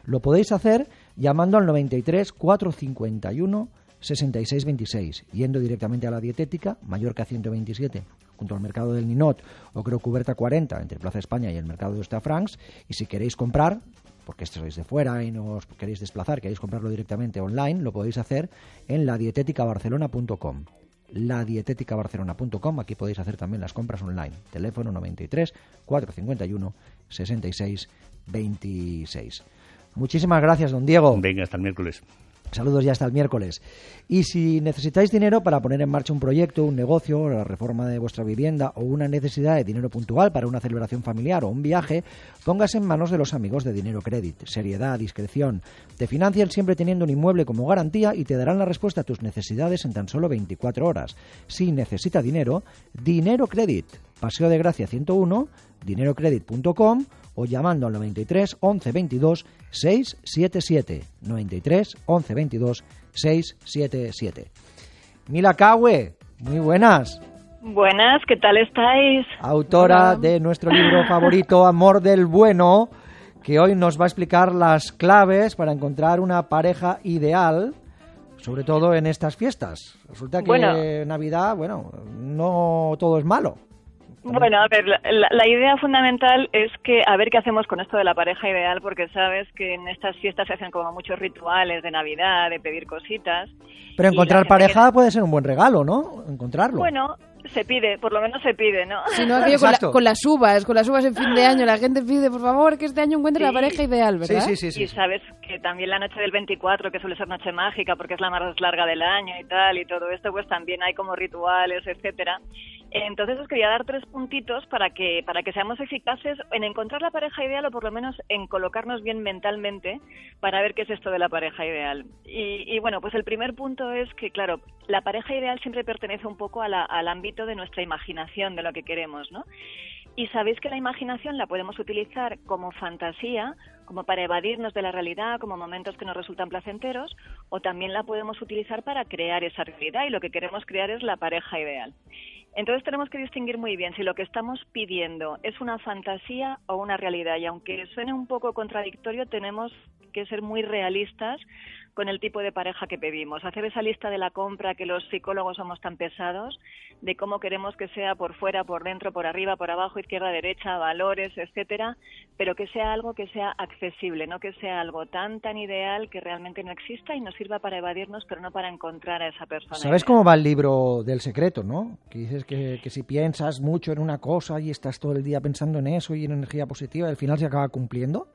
Lo podéis hacer llamando al noventa y tres, cuatrocientos cincuenta y uno, sesenta y seis veintiséis, yendo directamente a la dietética, Mallorca ciento veintisiete, junto al mercado del Ninot, o creo Cuberta cuarenta, entre Plaza España y el mercado de Hostafrancs, y si queréis comprar, porque sois de fuera y no os queréis desplazar, queréis comprarlo directamente online, lo podéis hacer en la dietética barcelona punto com. la dietética barcelona punto com, aquí podéis hacer también las compras online. Teléfono noventa y tres, cuatrocientos cincuenta y uno, sesenta y seis veintiséis. Muchísimas gracias, don Diego. Venga, hasta el miércoles. Saludos ya hasta el miércoles. Y si necesitáis dinero para poner en marcha un proyecto, un negocio, la reforma de vuestra vivienda o una necesidad de dinero puntual para una celebración familiar o un viaje, póngase en manos de los amigos de Dinero Credit. Seriedad, discreción. Te financian siempre teniendo un inmueble como garantía y te darán la respuesta a tus necesidades en tan solo veinticuatro horas. Si necesita dinero, Dinero Credit. Paseo de Gracia ciento uno, dinero credit punto com o llamando al noventa y tres, once, veintidós, seiscientos setenta y siete. noventa y tres, once, veintidós, seiscientos setenta y siete. Mila Cahue, muy buenas. Buenas, ¿qué tal estáis? Autora Hola. de nuestro libro favorito, Amor del Bueno, que hoy nos va a explicar las claves para encontrar una pareja ideal, sobre todo en estas fiestas. Resulta que bueno, Navidad, bueno, no todo es malo. Bueno, a ver, la, la idea fundamental es que a ver qué hacemos con esto de la pareja ideal, porque sabes que en estas fiestas se hacen como muchos rituales de Navidad, de pedir cositas. Pero encontrar pareja que... puede ser un buen regalo, ¿no? Encontrarlo. Bueno, se pide, por lo menos se pide, ¿no? Si no, aquello con, la, con las uvas, con las uvas en fin de año, la gente pide, por favor, que este año encuentre sí. la pareja ideal, ¿verdad? Sí, sí, sí, sí. Y sabes que también la noche del veinticuatro, que suele ser noche mágica, porque es la más larga del año y tal, y todo esto, pues también hay como rituales, etcétera. Entonces os quería dar tres puntitos para que para que seamos eficaces en encontrar la pareja ideal o por lo menos en colocarnos bien mentalmente para ver qué es esto de la pareja ideal. Y, y bueno, pues el primer punto es que, claro, la pareja ideal siempre pertenece un poco a la, al ámbito de nuestra imaginación, de lo que queremos, ¿no? Y sabéis que la imaginación la podemos utilizar como fantasía, como para evadirnos de la realidad, como momentos que nos resultan placenteros, o también la podemos utilizar para crear esa realidad, y lo que queremos crear es la pareja ideal. Entonces tenemos que distinguir muy bien si lo que estamos pidiendo es una fantasía o una realidad, y aunque suene un poco contradictorio, tenemos que ser muy realistas con el tipo de pareja que pedimos. Hacer esa lista de la compra que los psicólogos somos tan pesados, de cómo queremos que sea por fuera, por dentro, por arriba, por abajo, izquierda, derecha, valores, etcétera, pero que sea algo que sea accesible, no que sea algo tan, tan ideal que realmente no exista y nos sirva para evadirnos, pero no para encontrar a esa persona. ¿Sabes ideal. cómo va el libro del secreto, no? Que dices que, que si piensas mucho en una cosa y estás todo el día pensando en eso y en energía positiva, al final se acaba cumpliendo.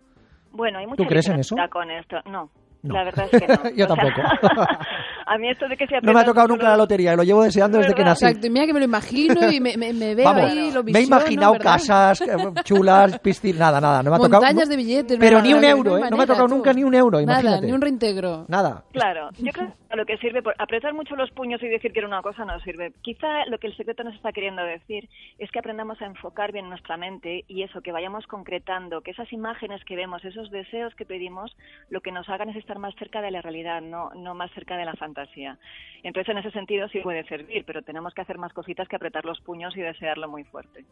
Bueno, hay mucha ¿Tú crees en eso? Con esto. No. No. La verdad es que no. Yo o tampoco. Sea, a mí esto de que se no me ha tocado nunca la lotería, lo llevo deseando desde que nací. Exacto, y mira que me lo imagino y me, me, me veo Vamos, ahí, lo visiono, me he imaginado ¿verdad? casas chulas, piscinas, nada, nada. No me ha tocado, montañas no, de billetes. Pero nada, ni un de euro, ¿eh? manera, No me ha tocado tú. nunca ni un euro, Nada, imagínate. ni un reintegro. Nada. Claro, yo creo que lo que sirve, por apretar mucho los puños y decir que era una cosa no sirve. Quizá lo que el secreto nos está queriendo decir es que aprendamos a enfocar bien nuestra mente y eso, que vayamos concretando, que esas imágenes que vemos, esos deseos que pedimos, lo que nos hagan es estar más cerca de la realidad, no, no más cerca de la fantasía. Entonces, en ese sentido sí puede servir, pero tenemos que hacer más cositas que apretar los puños y desearlo muy fuerte.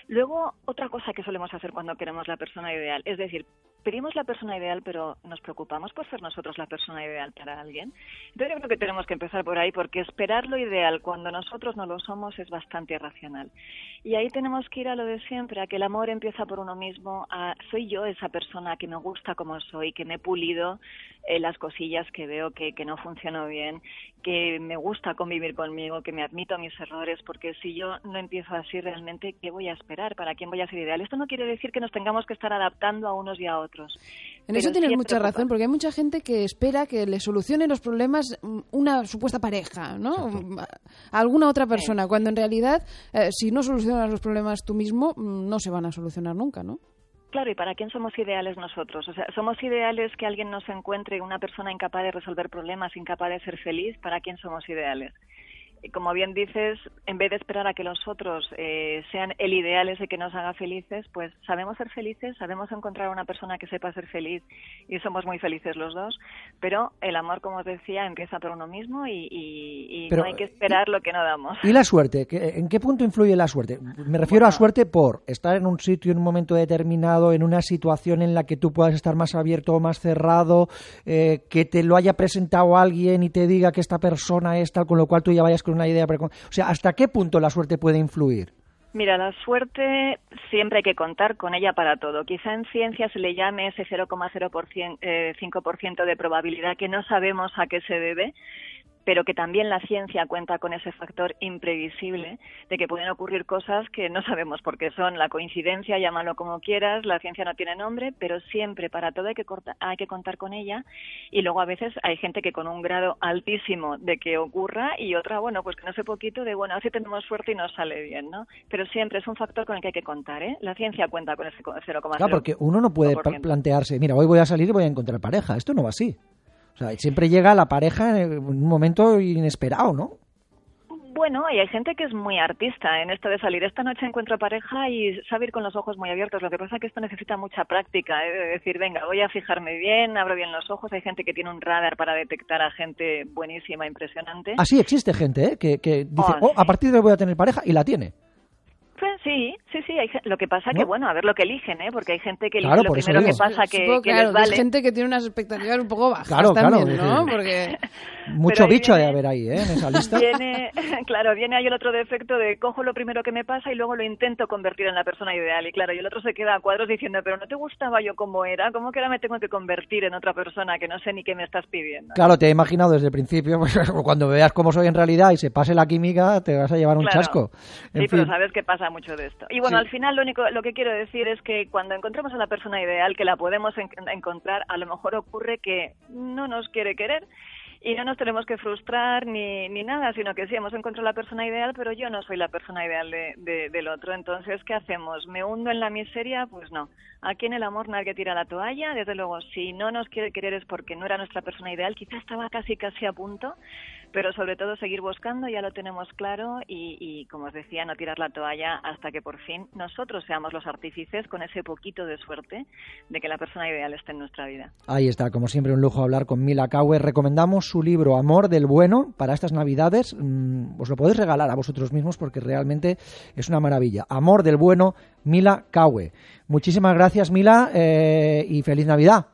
Luego, otra cosa que solemos hacer cuando queremos la persona ideal, es decir, pedimos la persona ideal, pero nos preocupamos por ser nosotros la persona ideal para alguien. Entonces, yo creo que tenemos que empezar por ahí, porque esperar lo ideal cuando nosotros no lo somos es bastante irracional. Y ahí tenemos que ir a lo de siempre, a que el amor empieza por uno mismo, a soy yo esa persona que me gusta como soy, que me he pulido eh, las cosillas que veo que, que no funcionó bien, que me gusta convivir conmigo, que me admito mis errores, porque si yo no empiezo así realmente, ¿qué voy a esperar? ¿Para quién voy a ser ideal? Esto no quiere decir que nos tengamos que estar adaptando a unos y a otros. En eso tienes mucha razón, porque hay mucha gente que espera que le solucione los problemas una supuesta pareja, ¿no? A alguna otra persona, sí. Cuando en realidad, eh, si no solucionas los problemas tú mismo, no se van a solucionar nunca, ¿no? Claro, ¿y para quién somos ideales nosotros? O sea, ¿somos ideales que alguien nos encuentre una persona incapaz de resolver problemas, incapaz de ser feliz? ¿Para quién somos ideales? Como bien dices, en vez de esperar a que los otros eh, sean el ideal ese que nos haga felices, pues sabemos ser felices, sabemos encontrar a una persona que sepa ser feliz y somos muy felices los dos, pero el amor, como os decía, empieza por uno mismo y, y, y pero, no hay que esperar lo que no damos. ¿Y la suerte? ¿En qué punto influye la suerte? Me refiero bueno, a suerte por estar en un sitio en un momento determinado, en una situación en la que tú puedas estar más abierto o más cerrado, eh, que te lo haya presentado alguien y te diga que esta persona es tal, con lo cual tú ya vayas con una idea. O sea, ¿hasta qué punto la suerte puede influir? Mira, la suerte siempre hay que contar con ella para todo. Quizá en ciencia se le llame ese cero coma cero cinco por ciento de probabilidad que no sabemos a qué se debe, pero que también la ciencia cuenta con ese factor imprevisible de que pueden ocurrir cosas que no sabemos por qué son. La coincidencia, llámalo como quieras, la ciencia no tiene nombre, pero siempre para todo hay que, corta, hay que contar con ella. Y luego a veces hay gente que con un grado altísimo de que ocurra y otra, bueno, pues que no sé poquito de, bueno, así tenemos suerte y nos sale bien, ¿no? Pero siempre es un factor con el que hay que contar, ¿eh? La ciencia cuenta con ese cero coma cero. Claro, porque uno no puede plantearse, mira, hoy voy a salir y voy a encontrar pareja. Esto no va así. O sea, siempre llega la pareja en un momento inesperado, ¿no? Bueno, y hay gente que es muy artista en esto de salir. Esta noche encuentro pareja y sabe ir con los ojos muy abiertos. Lo que pasa es que esto necesita mucha práctica, ¿eh? De decir, venga, voy a fijarme bien, abro bien los ojos. Hay gente que tiene un radar para detectar a gente buenísima, impresionante. Ah, sí, existe gente, ¿eh? Que, que dice, oh, oh sí. A partir de hoy voy a tener pareja y la tiene. Pues sí, sí, sí. Hay, lo que pasa ¿no? que, bueno, a ver lo que eligen, ¿eh? Porque hay gente que elige claro, lo primero que pasa que, Supongo, que claro, les vale. Hay gente que tiene unas expectativas un poco bajas claro, también, claro, ¿no? Porque... Mucho bicho viene, de haber ahí, ¿eh? En esa lista. Viene, claro, viene ahí el otro defecto de cojo lo primero que me pasa y luego lo intento convertir en la persona ideal. Y claro, y el otro se queda a cuadros diciendo, pero ¿no te gustaba yo como era? ¿Cómo que ahora me tengo que convertir en otra persona que no sé ni qué me estás pidiendo? Claro, te he imaginado desde el principio, pues, cuando veas cómo soy en realidad y se pase la química, te vas a llevar un claro. chasco. En sí, fin. pero sabes que pasa mucho de esto. Y bueno, sí. Al final lo único, lo que quiero decir es que cuando encontramos a la persona ideal, que la podemos en- encontrar, a lo mejor ocurre que no nos quiere querer. Y no nos tenemos que frustrar ni, ni nada, sino que sí, hemos encontrado la persona ideal, pero yo no soy la persona ideal de, de, del otro. Entonces, ¿qué hacemos? ¿Me hundo en la miseria? Pues no. Aquí en el amor nadie tira la toalla. Desde luego, si no nos quiere querer es porque no era nuestra persona ideal. Quizá estaba casi, casi a punto, pero sobre todo seguir buscando, ya lo tenemos claro. Y, y como os decía, no tirar la toalla hasta que por fin nosotros seamos los artífices con ese poquito de suerte de que la persona ideal esté en nuestra vida. Ahí está, como siempre, un lujo hablar con Mila Caue. Recomendamos su libro Amor del Bueno para estas Navidades. Mm, os lo podéis regalar a vosotros mismos porque realmente es una maravilla. Amor del Bueno, Mila Caue. Muchísimas gracias, Mila, eh, y feliz Navidad.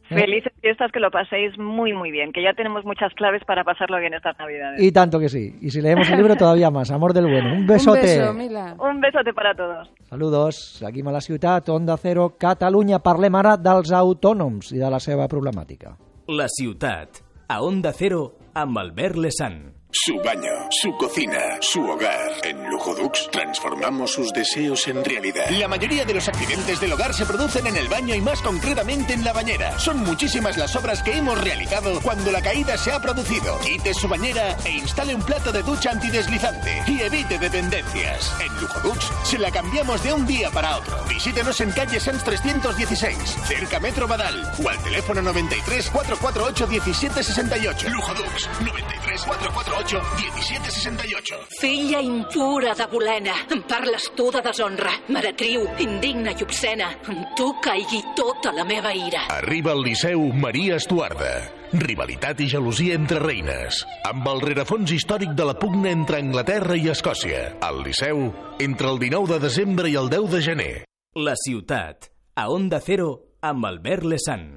¿Eh? Felices fiestas, que lo paséis muy, muy bien, que ya tenemos muchas claves para pasarlo bien estas Navidades. Y tanto que sí. Y si leemos el libro, todavía más. Amor del Bueno. Un besote. Un beso, Mila. Un besote para todos. Saludos. Seguim a la ciutat, Onda Cero, Catalunya. Parlem ara dels autònoms i de la seva problemàtica. La ciutat, a Onda Cero, amb Albert Lesan. Su baño, su cocina, su hogar. En Lujodux transformamos sus deseos en realidad. La mayoría de los accidentes del hogar se producen en el baño y más concretamente en la bañera. Son muchísimas las obras que hemos realizado cuando la caída se ha producido. Quite su bañera e instale un plato de ducha antideslizante y evite dependencias. En Lujodux se la cambiamos de un día para otro. Visítenos en calle Sans trescientos dieciséis, cerca Metro Badal, o al teléfono noventa y tres, cuatrocientos cuarenta y ocho, diecisiete sesenta y ocho. Lujodux, noventa y tres, cuatrocientos cuarenta y ocho, diecisiete sesenta y ocho. Filla impura de Bolena, em parles tu de deshonra, meretriu, indigna i obscena. Amb tu caigui tota la meva ira. Arriba al Liceu Maria Estuarda. Rivalitat i gelosia entre reines. Amb el rerefons històric de la pugna entre Anglaterra i Escòcia. Al Liceu, entre el dinou de desembre i el deu de gener. La ciutat, a Onda Cero, amb Albert Lesan.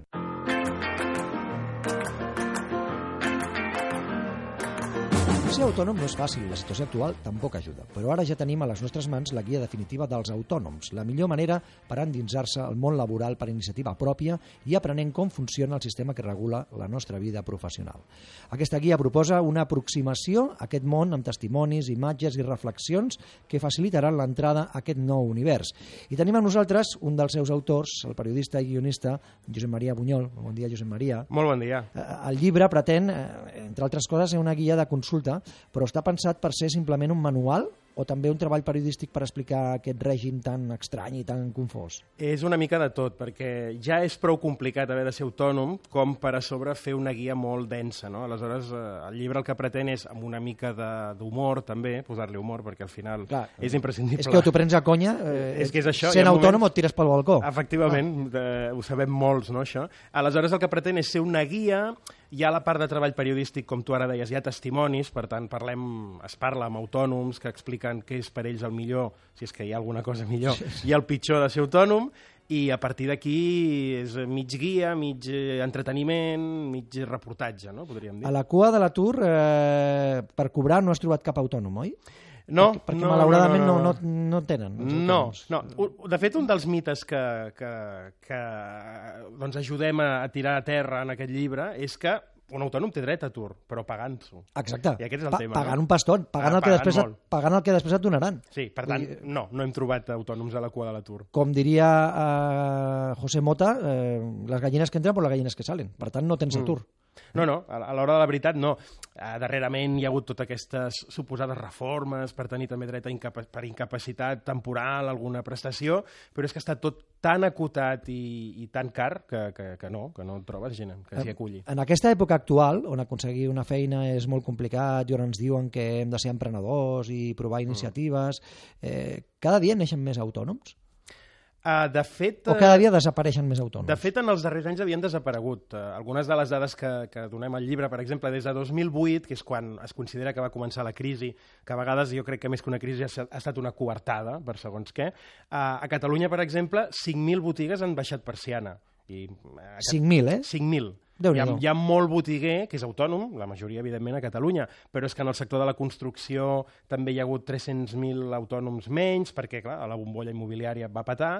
Ser autònom no és fàcil, la situació actual tampoc ajuda, però ara ja tenim a les nostres mans la guia definitiva dels autònoms, la millor manera per endinsar-se al món laboral per iniciativa pròpia i aprenent com funciona el sistema que regula la nostra vida professional. Aquesta guia proposa una aproximació a aquest món amb testimonis, imatges i reflexions que facilitaran l'entrada a aquest nou univers. I tenim amb nosaltres un dels seus autors, el periodista i guionista Josep Maria Bunyol. Bon dia, Josep Maria. Molt bon dia. El llibre pretén, entre altres coses, ser una guia de consulta, però està pensat per ser simplement un manual o també un treball periodístic per explicar aquest règim tan estrany i tan confós? És una mica de tot, perquè ja és prou complicat haver de ser autònom com per a sobre fer una guia molt densa, no? Aleshores, el llibre el que pretén és, amb una mica d'humor també, posar-li humor, perquè al final Clar, és imprescindible. És que o t'ho prens a conya, eh, és que és això, sent autònom moments... o et tires pel balcó. Efectivament, ah. de, ho sabem molts, no, això? Aleshores, el que pretén és ser una guia. Hi ha la part de treball periodístic, com tu ara deies, hi ha testimonis, per tant, parlem, es parla amb autònoms que expliquen què és per ells el millor, si és que hi ha alguna cosa millor, i el pitjor de ser autònom, i a partir d'aquí és mig guia, mig entreteniment, mig reportatge, no? Podríem dir. A la cua de l'atur, eh, per cobrar no has trobat cap autònom, oi? No, perquè, perquè no, malauradament no, no, no, no, no tenen. No, no. De fet, un dels mites que, que, que doncs ajudem a, a tirar a terra en aquest llibre és que un autònom té dret a atur, però pagant-s'ho. Exacte. I aquest és el pa tema. Pagant no? un paston, pagant, ah, el que pagant, després et, pagant el que després et donaran. Sí, per tant, I, no, no hem trobat autònoms a la cua de l'atur. Com diria uh, José Mota, eh, les gallines que entren per les gallines que salen. Per tant, no tens atur. Mm. No, no, a l'hora de la veritat no. Uh, darrerament hi ha hagut totes aquestes suposades reformes per tenir també dret a incapa per incapacitat temporal, alguna prestació, però és que està tot tan acotat i, i tan car que, que, que no, que no trobes gent que s'hi aculli. En aquesta època actual, on aconseguir una feina és molt complicat i on ens diuen que hem de ser emprenedors i provar iniciatives, eh, cada dia neixen més autònoms? Uh, de fet, o cada dia desapareixen més autònoms? De fet, en els darrers anys havien desaparegut. Uh, algunes de les dades que, que donem al llibre, per exemple, des de dos mil vuit, que és quan es considera que va començar la crisi, que a vegades jo crec que més que una crisi ha, ha estat una coartada, per segons què, uh, a Catalunya, per exemple, cinc mil botigues han baixat persiana. I, uh, cinc mil, eh? cinc mil. Hi ha, hi ha molt botiguer que és autònom, la majoria, evidentment, a Catalunya, però és que en el sector de la construcció també hi ha hagut tres-cents mil autònoms menys, perquè, clar, la bombolla immobiliària va petar.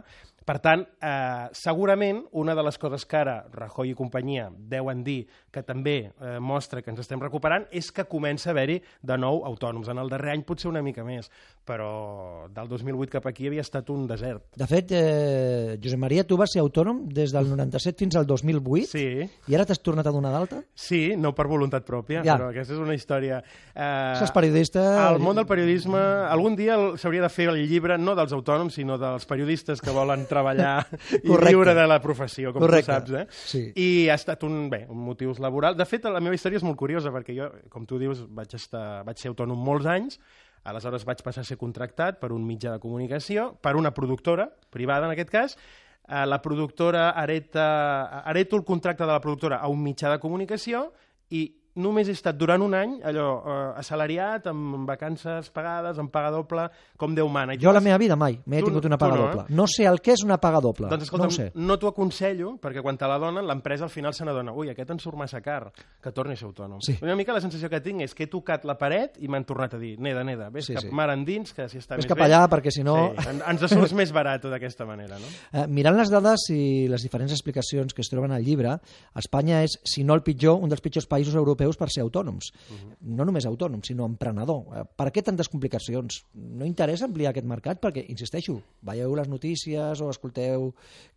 Per tant, eh, segurament, una de les coses que ara Rajoy i companyia deuen dir que també eh, mostra que ens estem recuperant és que comença a haver-hi de nou autònoms. En el darrer any potser una mica més, però del dos mil vuit cap aquí havia estat un desert. De fet, eh, Josep Maria, tu vas ser autònom des del noranta-set fins al dos mil vuit? Sí. I ara t'has tornat a donar d'alta? Sí, no per voluntat pròpia, ja. Però aquesta és una història... Eh, Això és periodista... El món del periodisme... Algun dia s'hauria de fer el llibre no dels autònoms, sinó dels periodistes que volen treballar i viure de la professió, com Correcte. tu saps. Eh? Sí. I ha estat un, bé, un motius laboral. De fet, la meva història és molt curiosa, perquè jo, com tu dius, vaig, estar, vaig ser autònom molts anys, aleshores vaig passar a ser contractat per un mitjà de comunicació, per una productora, privada en aquest cas. La productora hereta, hereto el contracte de la productora a un mitjà de comunicació i només he estat durant un any allò eh, assalariat, amb vacances pagades, amb paga doble, com Déu mana. Jo a la meva vida mai m'he tingut una paga no, doble. Eh? No sé el que és una paga doble. Doncs escolta, no, sé. no t'ho aconsello, perquè quan te la donen, l'empresa al final se n'adona. Ui, aquest en surt massa car, que torni a ser autònom. Sí. Una mica la sensació que tinc és que he tocat la paret i m'han tornat a dir, neda, neda, ves sí, cap sí. mar endins, que si està ves més cap bé... allà, perquè si no... Sí, ens surts més barat d'aquesta manera, no? Eh, mirant les dades i les diferents explicacions que es troben al llibre, Espanya és, si no el pitjor, un dels pitjors països europeus per ser autònoms. Uh-huh. No només autònom, sinó emprenedor. Per què tantes complicacions? No interessa ampliar aquest mercat? Perquè, insisteixo, veieu les notícies o escolteu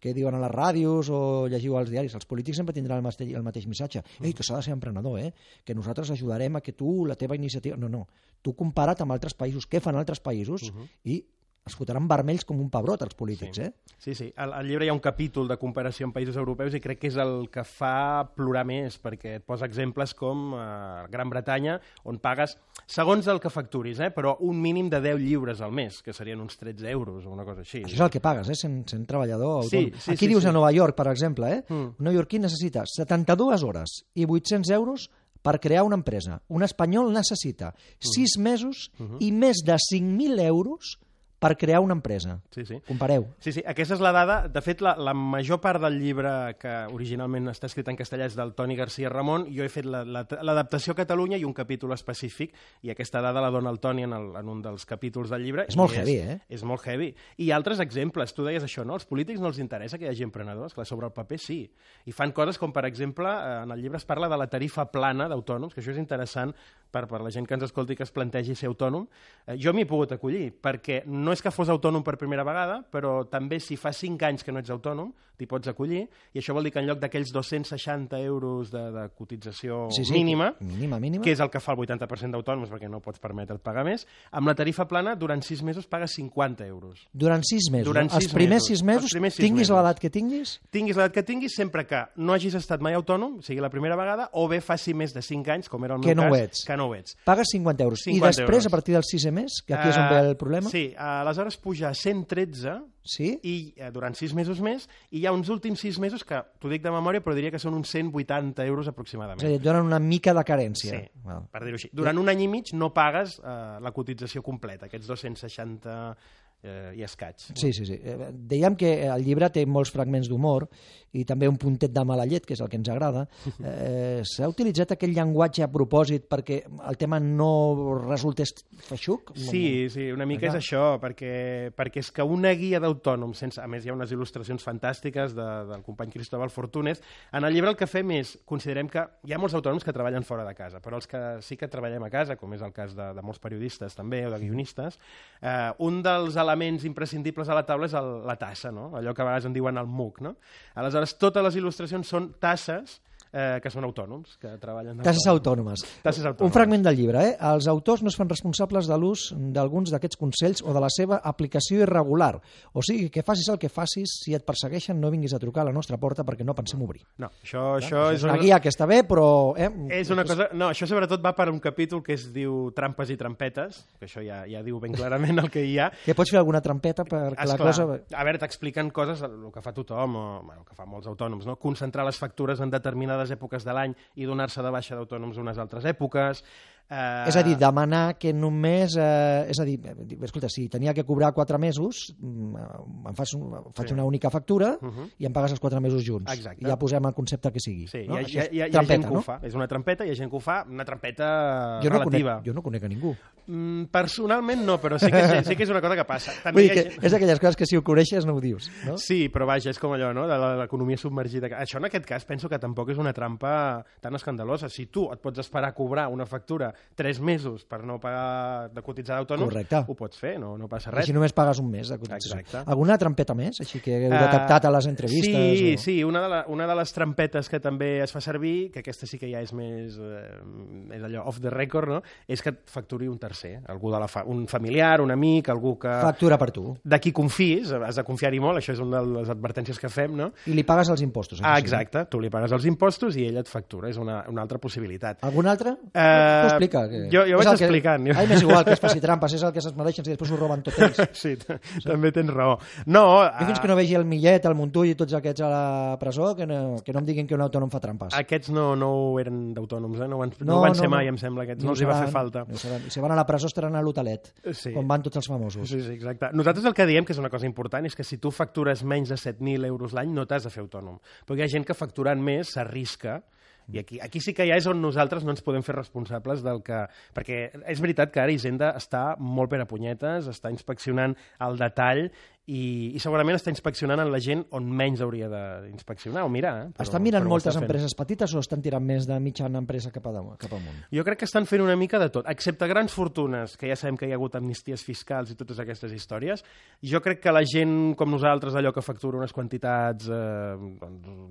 què diuen a les ràdios o llegiu als diaris. Els polítics sempre tindran el mateix, el mateix missatge. Ei, que s'ha de ser emprenedor, eh? Que nosaltres ajudarem a que tu, la teva iniciativa... No, no. Tu compara't amb altres països. Què fan altres països? Uh-huh. I es fotran vermells com un pebrot, els polítics, sí. eh? Sí, sí. Al, al llibre hi ha un capítol de comparació amb països europeus i crec que és el que fa plorar més, perquè et posa exemples com eh, Gran Bretanya, on pagues, segons el que facturis, eh, però un mínim de deu lliures al mes, que serien uns tretze euros o una cosa així. Això és el que pagues, eh, sent, sent treballador autònom. Sí, sí, Aquí sí, dius sí. a Nova York, per exemple, eh? Mm. Un neoyorquí necessita setanta-dues hores i vuit-cents euros per crear una empresa. Un espanyol necessita sis mesos Mm-hmm. i més de cinc mil euros per crear una empresa. Sí, sí. Compareu. Sí, sí, aquesta és la dada. De fet, la, la major part del llibre que originalment està escrit en castellà és del Toni García Ramon. Jo he fet l'adaptació la, la, a Catalunya i un capítol específic, i aquesta dada la dona el Toni en, el, en un dels capítols del llibre. És molt és, heavy, eh? És molt heavy. I altres exemples. Tu deies això, no? Als polítics no els interessa que hi hagi emprenedors. Clar, sobre el paper sí. I fan coses com, per exemple, en el llibre es parla de la tarifa plana d'autònoms, que això és interessant per, per la gent que ens escolti que es plantegi ser autònom. Eh, jo m'hi he pogut acollir, perquè no no és que fos autònom per primera vegada, però també si fa cinc anys que no ets autònom, t'hi pots acollir, i això vol dir que en lloc d'aquells dos-cents seixanta euros de, de cotització sí, sí, mínima, mínima, mínima, que és el que fa el vuitanta per cent d'autònoms perquè no pots permetre't pagar més, amb la tarifa plana durant sis mesos pagues cinquanta euros. Durant sis mesos? Durant sis els primers mesos. sis mesos, primers sis tinguis mesos. l'edat que tinguis? Tinguis l'edat que tinguis, sempre que no hagis estat mai autònom, sigui la primera vegada, o bé faci més de cinc anys, com era el meu que no cas, ho ets. que no ho ets. Pagues cinquanta euros. cinquanta I després, euros. a partir del sisè mes, que aquí és on ve el problema? Uh, sí, aleshores puja a cent tretze sí? i uh, durant sis mesos més, i hi ha uns últims sis mesos que, t'ho dic de memòria, però diria que són uns cent vuitanta euros aproximadament. És a dir, et donen una mica de carència. Sí, well. per dir-ho així. Durant un any i mig no pagues uh, la cotització completa, aquests dos-cents seixanta eh, i escaig. Sí, sí, sí. Eh, dèiem que el llibre té molts fragments d'humor i també un puntet de mala llet, que és el que ens agrada. Eh, S'ha utilitzat aquell llenguatge a propòsit perquè el tema no resultés feixuc? Sí, sí, una mica és això, perquè, perquè és que una guia d'autònoms, sense, a més hi ha unes il·lustracions fantàstiques de, del company Cristóbal Fortunes, en el llibre el que fem és, considerem que hi ha molts autònoms que treballen fora de casa, però els que sí que treballem a casa, com és el cas de, de molts periodistes també, o de guionistes, eh, un dels elements imprescindibles a la taula és el, la tassa, no? Allò que a vegades en diuen el M U C, no? Aleshores, totes les il·lustracions són tasses eh, que són autònoms, que treballen... Tasses autònomes. Tasses autònomes. Un fragment del llibre, eh? Els autors no es fan responsables de l'ús d'alguns d'aquests consells o de la seva aplicació irregular. O sigui, que facis el que facis, si et persegueixen no vinguis a trucar a la nostra porta perquè no pensem obrir. No, això, això no, és... una guia que està bé, però... Eh? És una cosa... No, això sobretot va per un capítol que es diu Trampes i trampetes, que això ja, ja diu ben clarament el que hi ha. Que pots fer alguna trampeta perquè la cosa... A veure, t'expliquen coses, el que fa tothom, o bueno, el que fa molts autònoms, no? Concentrar les factures en determinades èpoques de l'any i donar-se de baixa d'autònoms unes altres èpoques. Uh... És a dir, demanar que només... Eh, és a dir, escolta, si tenia que cobrar quatre mesos, em fas un, faig sí. una única factura uh -huh. i em pagues els quatre mesos junts. Exacte. I ja posem el concepte que sigui. Sí, no? hi ha, hi ha, hi ha, trampeta, hi ha gent que no? ho fa. És una trampeta, hi ha gent que ho fa, una trampeta jo no relativa. Conec, jo no conec a ningú. Mm, personalment no, però sí que, sí que és una cosa que passa. També Vull dir que gent... és d'aquelles coses que si ho coneixes no ho dius, no? Sí, però vaja, és com allò, no?, de l'economia submergida. Això en aquest cas penso que tampoc és una trampa tan escandalosa. Si tu et pots esperar a cobrar una factura tres mesos per no pagar de cotitzar d'autònoms, ho pots fer, no, no passa res. Així només pagues un mes de cotització. Exacte. Alguna trampeta més, així que heu detectat a les entrevistes? Sí, o... sí, una de, la, una de les trampetes que també es fa servir, que aquesta sí que ja és més eh, és allò off the record, no?, és que et facturi un tercer, algú de la fa un familiar, un amic, algú que... Factura per tu. De qui confis, has de confiar-hi molt, això és una de les advertències que fem, no? I li pagues els impostos. Ah, exacte, tu li pagues els impostos i ell et factura, és una, una altra possibilitat. Alguna altra? Uh, T'ho explica. Que... Jo, jo vaig explicant. Que... Ai, m'és igual que es faci trampes, és el que se'ls mereixen, si després ho roben tot ells. Sí, també tens raó. No, jo fins que no vegi el Millet, el Montull i tots aquests a la presó, que no, que no em diguin que un autònom fa trampes. Aquests no, no eren d'autònoms, eh? no, van, no, no van ser no, mai, no. em sembla, aquests no no els hi va fer falta. No I si van a la presó estaran a l'hotelet, sí. com van tots els famosos. Sí, sí, exacte. Nosaltres el que diem, que és una cosa important, és que si tu factures menys de set mil euros l'any no t'has de fer autònom. Perquè hi ha gent que facturant més s'arrisca. I aquí, aquí sí que ja és on nosaltres no ens podem fer responsables del que... Perquè és veritat que ara Hisenda està molt per a punyetes, està inspeccionant el detall i, i segurament està inspeccionant en la gent on menys hauria d'inspeccionar o mirar. Eh? Però, estan mirant però moltes està empreses petites o estan tirant més de mitjana empresa cap, a, cap amunt? Jo crec que estan fent una mica de tot, excepte grans fortunes, que ja sabem que hi ha hagut amnisties fiscals i totes aquestes històries. Jo crec que la gent com nosaltres, allò que factura unes quantitats eh,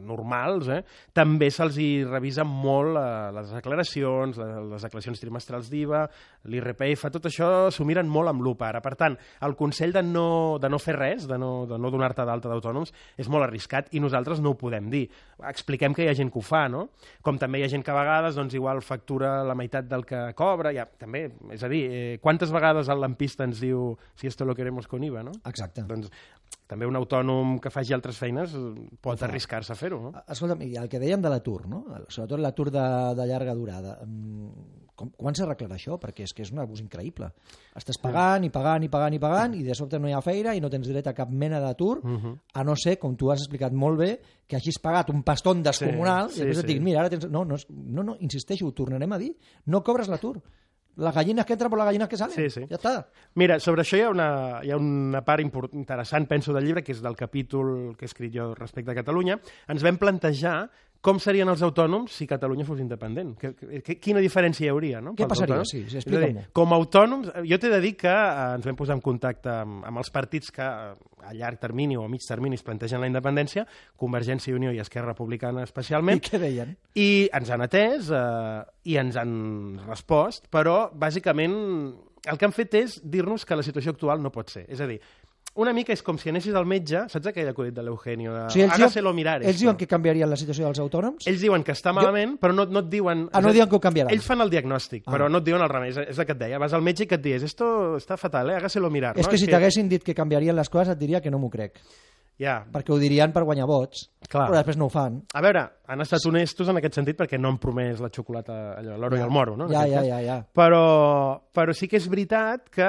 normals, eh, també se'ls hi revisa molt eh, les declaracions, les declaracions trimestrals d'I V A, l'I R P F, tot això s'ho miren molt amb lupa ara. Per tant, el consell de no, de no fer res, de no, de no donar-te d'alta d'autònoms, és molt arriscat i nosaltres no ho podem dir. Expliquem que hi ha gent que ho fa, no? Com també hi ha gent que a vegades doncs, igual factura la meitat del que cobra, ja, també, és a dir, eh, quantes vegades el lampista ens diu si esto lo queremos con I V A, no? Exacte. Doncs també un autònom que faci altres feines pot arriscar-se a fer-ho, no? Escolta'm, i el que dèiem de l'atur, no? Sobretot l'atur de, de llarga durada. Com, quan s'arreglarà això? Perquè és que és un abús increïble. Estàs pagant i pagant i pagant i pagant i de sobte no hi ha feina i no tens dret a cap mena d'atur, uh-huh. a no ser, com tu has explicat molt bé, que hagis pagat un pastón descomunal sí, sí, i després sí. et diguin, mira, ara tens... No, no, no, no, insisteixo, ho tornarem a dir, no cobres l'atur. Les gallines que entren per les gallines que salen. Sí, sí. Ja està. Mira, sobre això hi ha una, hi ha una part import, interessant, penso, del llibre, que és del capítol que he escrit jo respecte a Catalunya. Ens vam plantejar com serien els autònoms si Catalunya fos independent. Que, que, quina diferència hi hauria, no? Què passaria? Autònoms? Sí, sí, explica'm-ho. Com a autònoms, jo t'he de dir que eh, ens vam posar en contacte amb, amb els partits que a llarg termini o a mig termini es plantegen la independència, Convergència i Unió i Esquerra Republicana especialment. I què deien? I ens han atès eh, i ens han respost, però bàsicament el que han fet és dir-nos que la situació actual no pot ser. És a dir, una mica és com si anessis al metge, saps aquell acudit de l'Eugenio? De, o sigui, ells hágaselo diuen, mirar. Ells diuen que canviarien la situació dels autònoms? Ells diuen que està malament, jo... però no, no et diuen... Ah, no diuen que ho canviaran. Ells fan el diagnòstic, ah. però no et diuen el remei. És, és el que et deia. Vas al metge i que et dius, esto està fatal, eh? Hágaselo mirar. És no? que és si que... t'haguessin dit que canviarien les coses et diria que no m'ho crec. Ja. Perquè ho dirien per guanyar vots, Clar. però després no ho fan. A veure, han estat honestos en aquest sentit perquè no han promès la xocolata, allò, l'oro ja. i el moro, no? Ja, ja, ja, ja. Però, però sí que és veritat que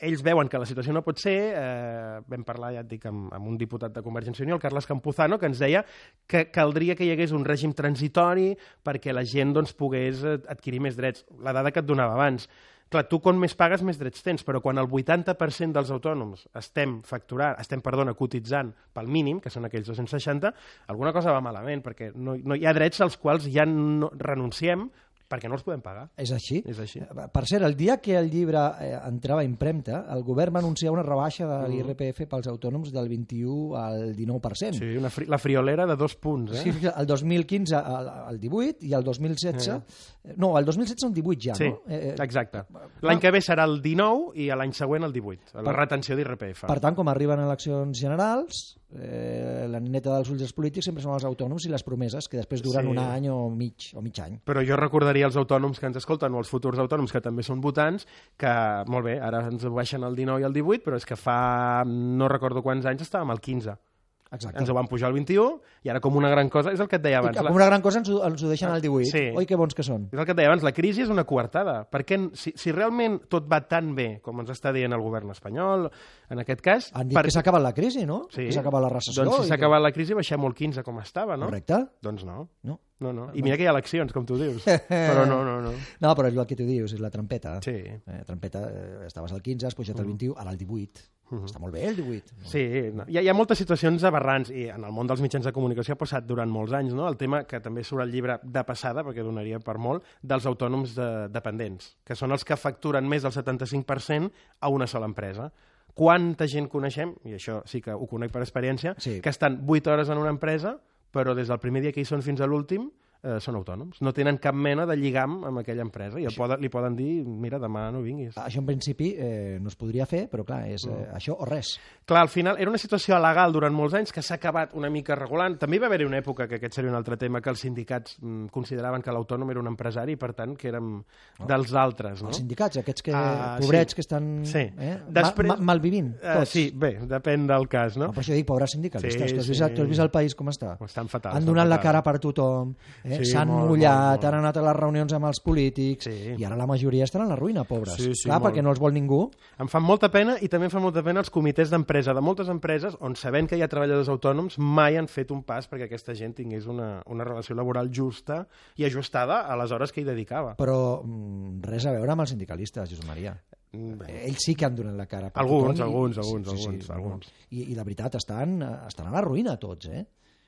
ells veuen que la situació no pot ser. Eh, vam parlar, ja et dic, amb, amb un diputat de Convergència i Unió, el Carles Campuzano, que ens deia que caldria que hi hagués un règim transitori perquè la gent doncs, pogués adquirir més drets. La dada que et donava abans. Clar, tu quan més pagues, més drets tens, però quan el vuitanta per cent dels autònoms estem facturant, estem, perdona, cotitzant pel mínim, que són aquells dos-cents seixanta, alguna cosa va malament, perquè no, no hi ha drets als quals ja no renunciem perquè no els podem pagar. És així? És així. Per cert, el dia que el llibre eh, entrava a impremta, el govern va anunciar una rebaixa de l'I R P F pels autònoms del vint-i-u al dinou per cent. Sí, una fri la friolera de dos punts. Eh? Sí, el dos mil quinze al divuit i el dos mil setze... Eh. No, el dos mil setze el divuit ja, sí, no? Sí, eh, exacte. L'any que ve serà el dinou i l'any següent el divuit, la per, retenció d'I R P F. Per tant, com arriben eleccions generals, eh, la nineta dels ulls dels polítics sempre són els autònoms i les promeses, que després duren sí. un any o mig, o mig any. Però jo recordaria als autònoms que ens escolten o als futurs autònoms que també són votants que, molt bé, ara ens baixen el dinou i el divuit, però és que fa no recordo quants anys estàvem al quinze. Exacte. Ens ho van pujar al vint-i-u i ara com una gran cosa, és el que et deia abans. Com una gran cosa ens ho, ens ho deixen al divuit. Sí. Oi, que bons que són. És el que et deia abans, la crisi és una coartada. Perquè si, si realment tot va tan bé com ens està dient el govern espanyol, en aquest cas... Han dit per... que s'ha acabat la crisi, no? Sí. Que s'ha acabat la recessió. Doncs si s'ha que... acabat la crisi baixem el quinze com estava, no? Correcte. Doncs no. No. No, no. I mira que hi ha eleccions, com tu dius. Però no, no, no. No, però és el que tu dius, és la trampeta. Sí. Eh, trampeta, eh, estaves al quinze, has pujat al vint-i-u, ara al divuit. Uh -huh. Està molt bé el divuit. Sí, no. hi, ha, hi ha moltes situacions aberrants i en el món dels mitjans de comunicació ha passat durant molts anys, no? El tema que també surt al llibre de passada, perquè donaria per molt, dels autònoms de, dependents, que són els que facturen més del setanta-cinc per cent a una sola empresa. Quanta gent coneixem, i això sí que ho conec per experiència, sí. que estan vuit hores en una empresa, però des del primer dia que hi són fins a l'últim eh, són autònoms. No tenen cap mena de lligam amb aquella empresa i el poden, li poden dir, mira, demà no vinguis. Això en principi eh, no es podria fer, però clar, és eh, això o res. Clar, al final era una situació legal durant molts anys que s'ha acabat una mica regulant. També va haver-hi una època, que aquest seria un altre tema, que els sindicats mm, consideraven que l'autònom era un empresari i per tant que érem oh. dels altres. No? Els sindicats, aquests que, uh, pobrets sí. que estan sí. eh, Després, ma, ma, malvivint, tots. Uh, sí, bé, depèn del cas, no? no per això dic, pobres sindicalistes, sí, que has vist, sí. tu has vist el país com està? Estan fatal. Han donat la cara per tothom, eh? sí, s'han molt, mullat, molt, molt. han anat a les reunions amb els polítics sí. i ara la majoria estan a la ruïna, pobres. Sí, sí, clar, molt. perquè no els vol ningú. Em fan molta pena i també em fan molta pena els comitès d'empresa de moltes empreses on sabent que hi ha treballadors autònoms mai han fet un pas perquè aquesta gent tingués una, una relació laboral justa i ajustada a les hores que hi dedicava. Però mm, res a veure amb els sindicalistes, Josep Maria. Bé. Ells sí que han donat la cara per alguns, tothom. Alguns, i, alguns, sí, sí, alguns, sí, alguns. I, I de veritat, estan, estan a la ruïna tots, eh?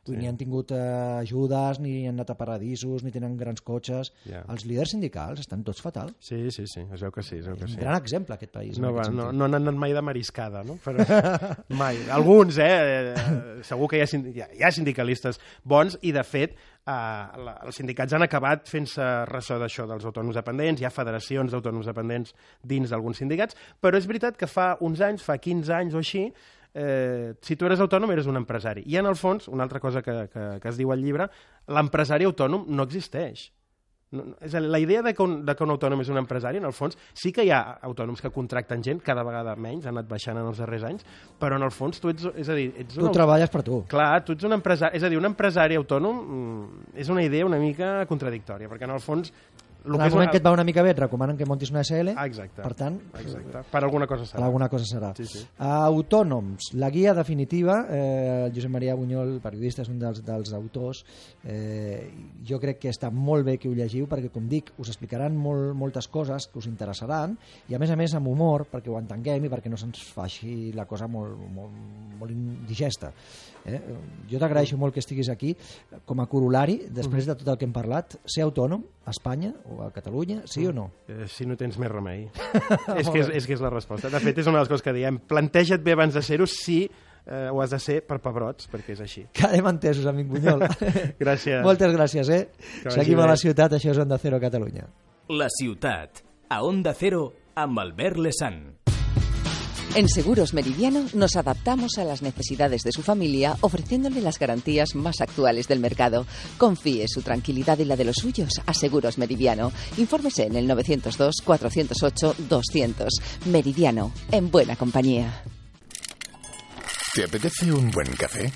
Sí. Ni han tingut eh, ajudes, ni han anat a paradisos, ni tenen grans cotxes. Yeah. Els líders sindicals estan tots fatal. Sí, sí, sí, es veu que sí. Es veu que és un sí. gran exemple, aquest país. No, aquest va, no, no han anat mai de mariscada, no? Però, mai. Alguns, eh? Segur que hi ha, hi ha, hi ha sindicalistes bons i, de fet, eh, la, els sindicats han acabat fent-se ressò d'això dels autònoms dependents. Hi ha federacions d'autònoms dependents dins d'alguns sindicats, però és veritat que fa uns anys, fa quinze anys o així, Eh, si tu eres autònom eres un empresari i en el fons, una altra cosa que, que, que es diu al llibre, l'empresari autònom no existeix. No, és a dir, la idea de que, un, de que un autònom és un empresari, en el fons sí que hi ha autònoms que contracten gent, cada vegada menys, han anat baixant en els darrers anys, però en el fons tu ets, és a dir, ets tu un... treballes per tu. Clar, tu ets un empresari, és a dir, un empresari autònom mm, és una idea una mica contradictòria, perquè en el fons En el moment que et va una mica bé et recomanen que montis una S L. Exacte. Per tant, Exacte. Per alguna cosa serà. Per alguna cosa serà. Sí, sí. Autònoms, la guia definitiva, eh, el Josep Maria Bunyol, periodista, és un dels, dels autors. Eh, jo crec que està molt bé que ho llegiu, perquè, com dic, us explicaran molt, moltes coses que us interessaran, i a més a més amb humor, perquè ho entenguem i perquè no se'ns faci la cosa molt, molt, molt indigesta. Eh? Jo t'agraeixo molt que estiguis aquí com a corolari, després de tot el que hem parlat. Ser autònom a Espanya o a Catalunya, sí o no? Eh, si no tens més remei. és, que és, és que és la resposta. De fet, és una de les coses que diem. Planteja't bé abans de ser-ho si eh, ho has de ser per pebrots, perquè és així. Quedem entesos, amic Bunyol. Gràcies. Moltes gràcies, eh? Seguim a la ciutat, això és Onda Cero Catalunya. La ciutat, a Onda Cero, amb Albert Lesan. En Seguros Meridiano nos adaptamos a las necesidades de su familia ofreciéndole las garantías más actuales del mercado. Confíe su tranquilidad y la de los suyos a Seguros Meridiano. Infórmese en el nueve cero dos, cuatro cero ocho, doscientos. Meridiano, en buena compañía. ¿Te apetece un buen café?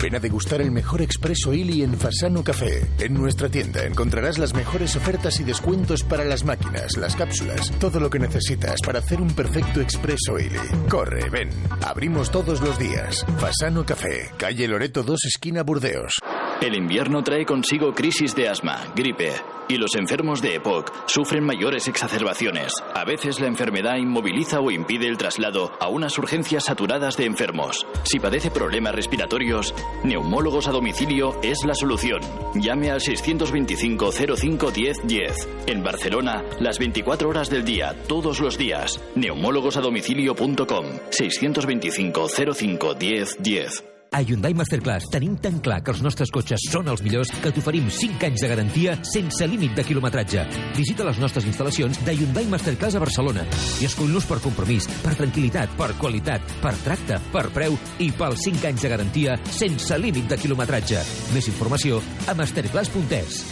Ven a degustar el mejor expreso Illy en Fasano Café. En nuestra tienda encontrarás las mejores ofertas y descuentos para las máquinas, las cápsulas, todo lo que necesitas para hacer un perfecto expreso Illy. Corre, ven. Abrimos todos los días. Fasano Café, calle Loreto dos, esquina Burdeos. El invierno trae consigo crisis de asma, gripe, y los enfermos de E P O C sufren mayores exacerbaciones. A veces la enfermedad inmoviliza o impide el traslado a unas urgencias saturadas de enfermos. Si padece problemas respiratorios, Neumólogos a Domicilio es la solución. Llame al seiscientos veinticinco, cero cinco, diez, diez. En Barcelona, las veinticuatro horas del día, todos los días. neumólogos a domicilio punto com. seiscientos veinticinco, cero cinco, diez, diez. A Hyundai Masterclass tenim tan clar que els nostres cotxes són els millors que t'oferim cinc anys de garantia sense límit de quilometratge. Visita les nostres instal·lacions de Hyundai Masterclass a Barcelona i escull-nos per compromís, per tranquil·litat, per qualitat, per tracte, per preu i pels cinc anys de garantia sense límit de quilometratge. Més informació a masterclass punt es.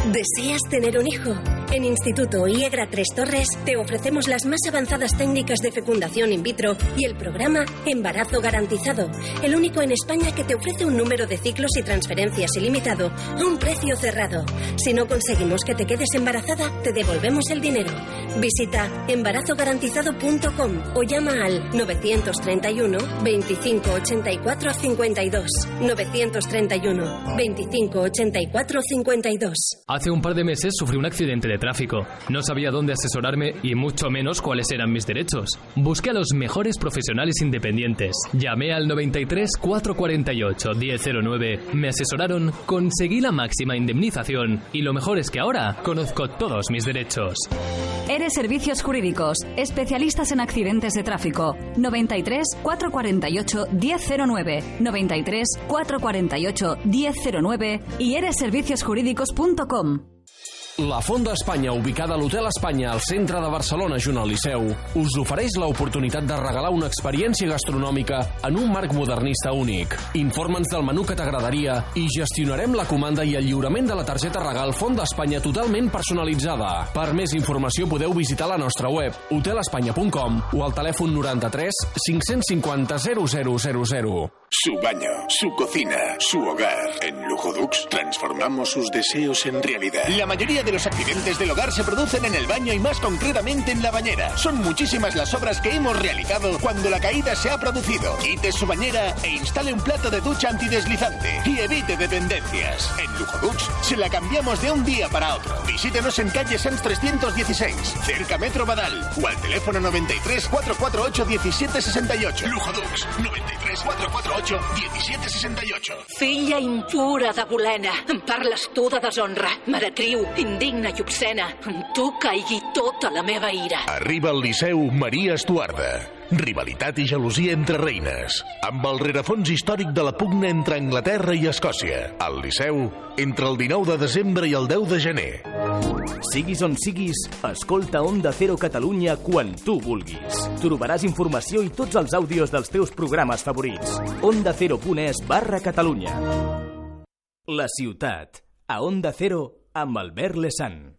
¿Deseas tener un hijo? En Instituto IEGRA Tres Torres te ofrecemos las más avanzadas técnicas de fecundación in vitro y el programa Embarazo Garantizado, el único en España que te ofrece un número de ciclos y transferencias ilimitado a un precio cerrado. Si no conseguimos que te quedes embarazada, te devolvemos el dinero. Visita embarazo garantizado punto com o llama al novecientos treinta y uno, veinticinco ochenta y cuatro, cincuenta y dos. novecientos treinta y uno, veinticinco ochenta y cuatro, cincuenta y dos. Hace un par de meses sufrí un accidente de tráfico. No sabía dónde asesorarme y mucho menos cuáles eran mis derechos. Busqué a los mejores profesionales independientes. Llamé al noventa y tres, cuatrocientos cuarenta y ocho, diez cero nueve. Me asesoraron, conseguí la máxima indemnización y lo mejor es que ahora conozco todos mis derechos. Eres Servicios Jurídicos, especialistas en accidentes de tráfico. noventa y tres, cuatrocientos cuarenta y ocho, diez cero nueve. noventa y tres, cuatrocientos cuarenta y ocho, diez cero nueve y eres servicios jurídicos punto com. La Font d'Espanya, ubicada a l'Hotel Espanya al centre de Barcelona, junt al Liceu, us ofereix l'oportunitat de regalar una experiència gastronòmica en un marc modernista únic. Informa'ns del menú que t'agradaria i gestionarem la comanda i el lliurament de la targeta regal Font d'Espanya totalment personalitzada. Per més informació podeu visitar la nostra web hotel espanya punt com o al telèfon noranta-tres, cinc-cents cinquanta, zero zero zero zero. Su baño, su cocina, su hogar. En Lujodux transformamos sus deseos en realidad. La mayoría de los accidentes del hogar se producen en el baño y más concretamente en la bañera. Son muchísimas las obras que hemos realizado cuando la caída se ha producido. Quite su bañera e instale un plato de ducha antideslizante y evite dependencias. En Lujodux se la cambiamos de un día para otro. Visítenos en calle Sans trescientos dieciséis, cerca Metro Badal, o al teléfono noventa y tres, cuatrocientos cuarenta y ocho, diecisiete sesenta y ocho. Lujodux, noventa y tres, cuatrocientos cuarenta y ocho, diecisiete sesenta y ocho. Filla impura de Bolena, em parles tu de deshonra, meretriu, indigna i obscena. En tu caigui tota la meva ira. Arriba al Liceu Maria Estuarda. Rivalitat i gelosia entre reines. Amb el rerefons històric de la pugna entre Anglaterra i Escòcia. Al Liceu, entre el dinou de desembre i el deu de gener. Siguis on siguis, escolta Onda Cero Catalunya quan tu vulguis. Trobaràs informació i tots els àudios dels teus programes favorits. onda cero punt es barra Catalunya. La ciutat, a Onda Cero, amb Albert Lesan.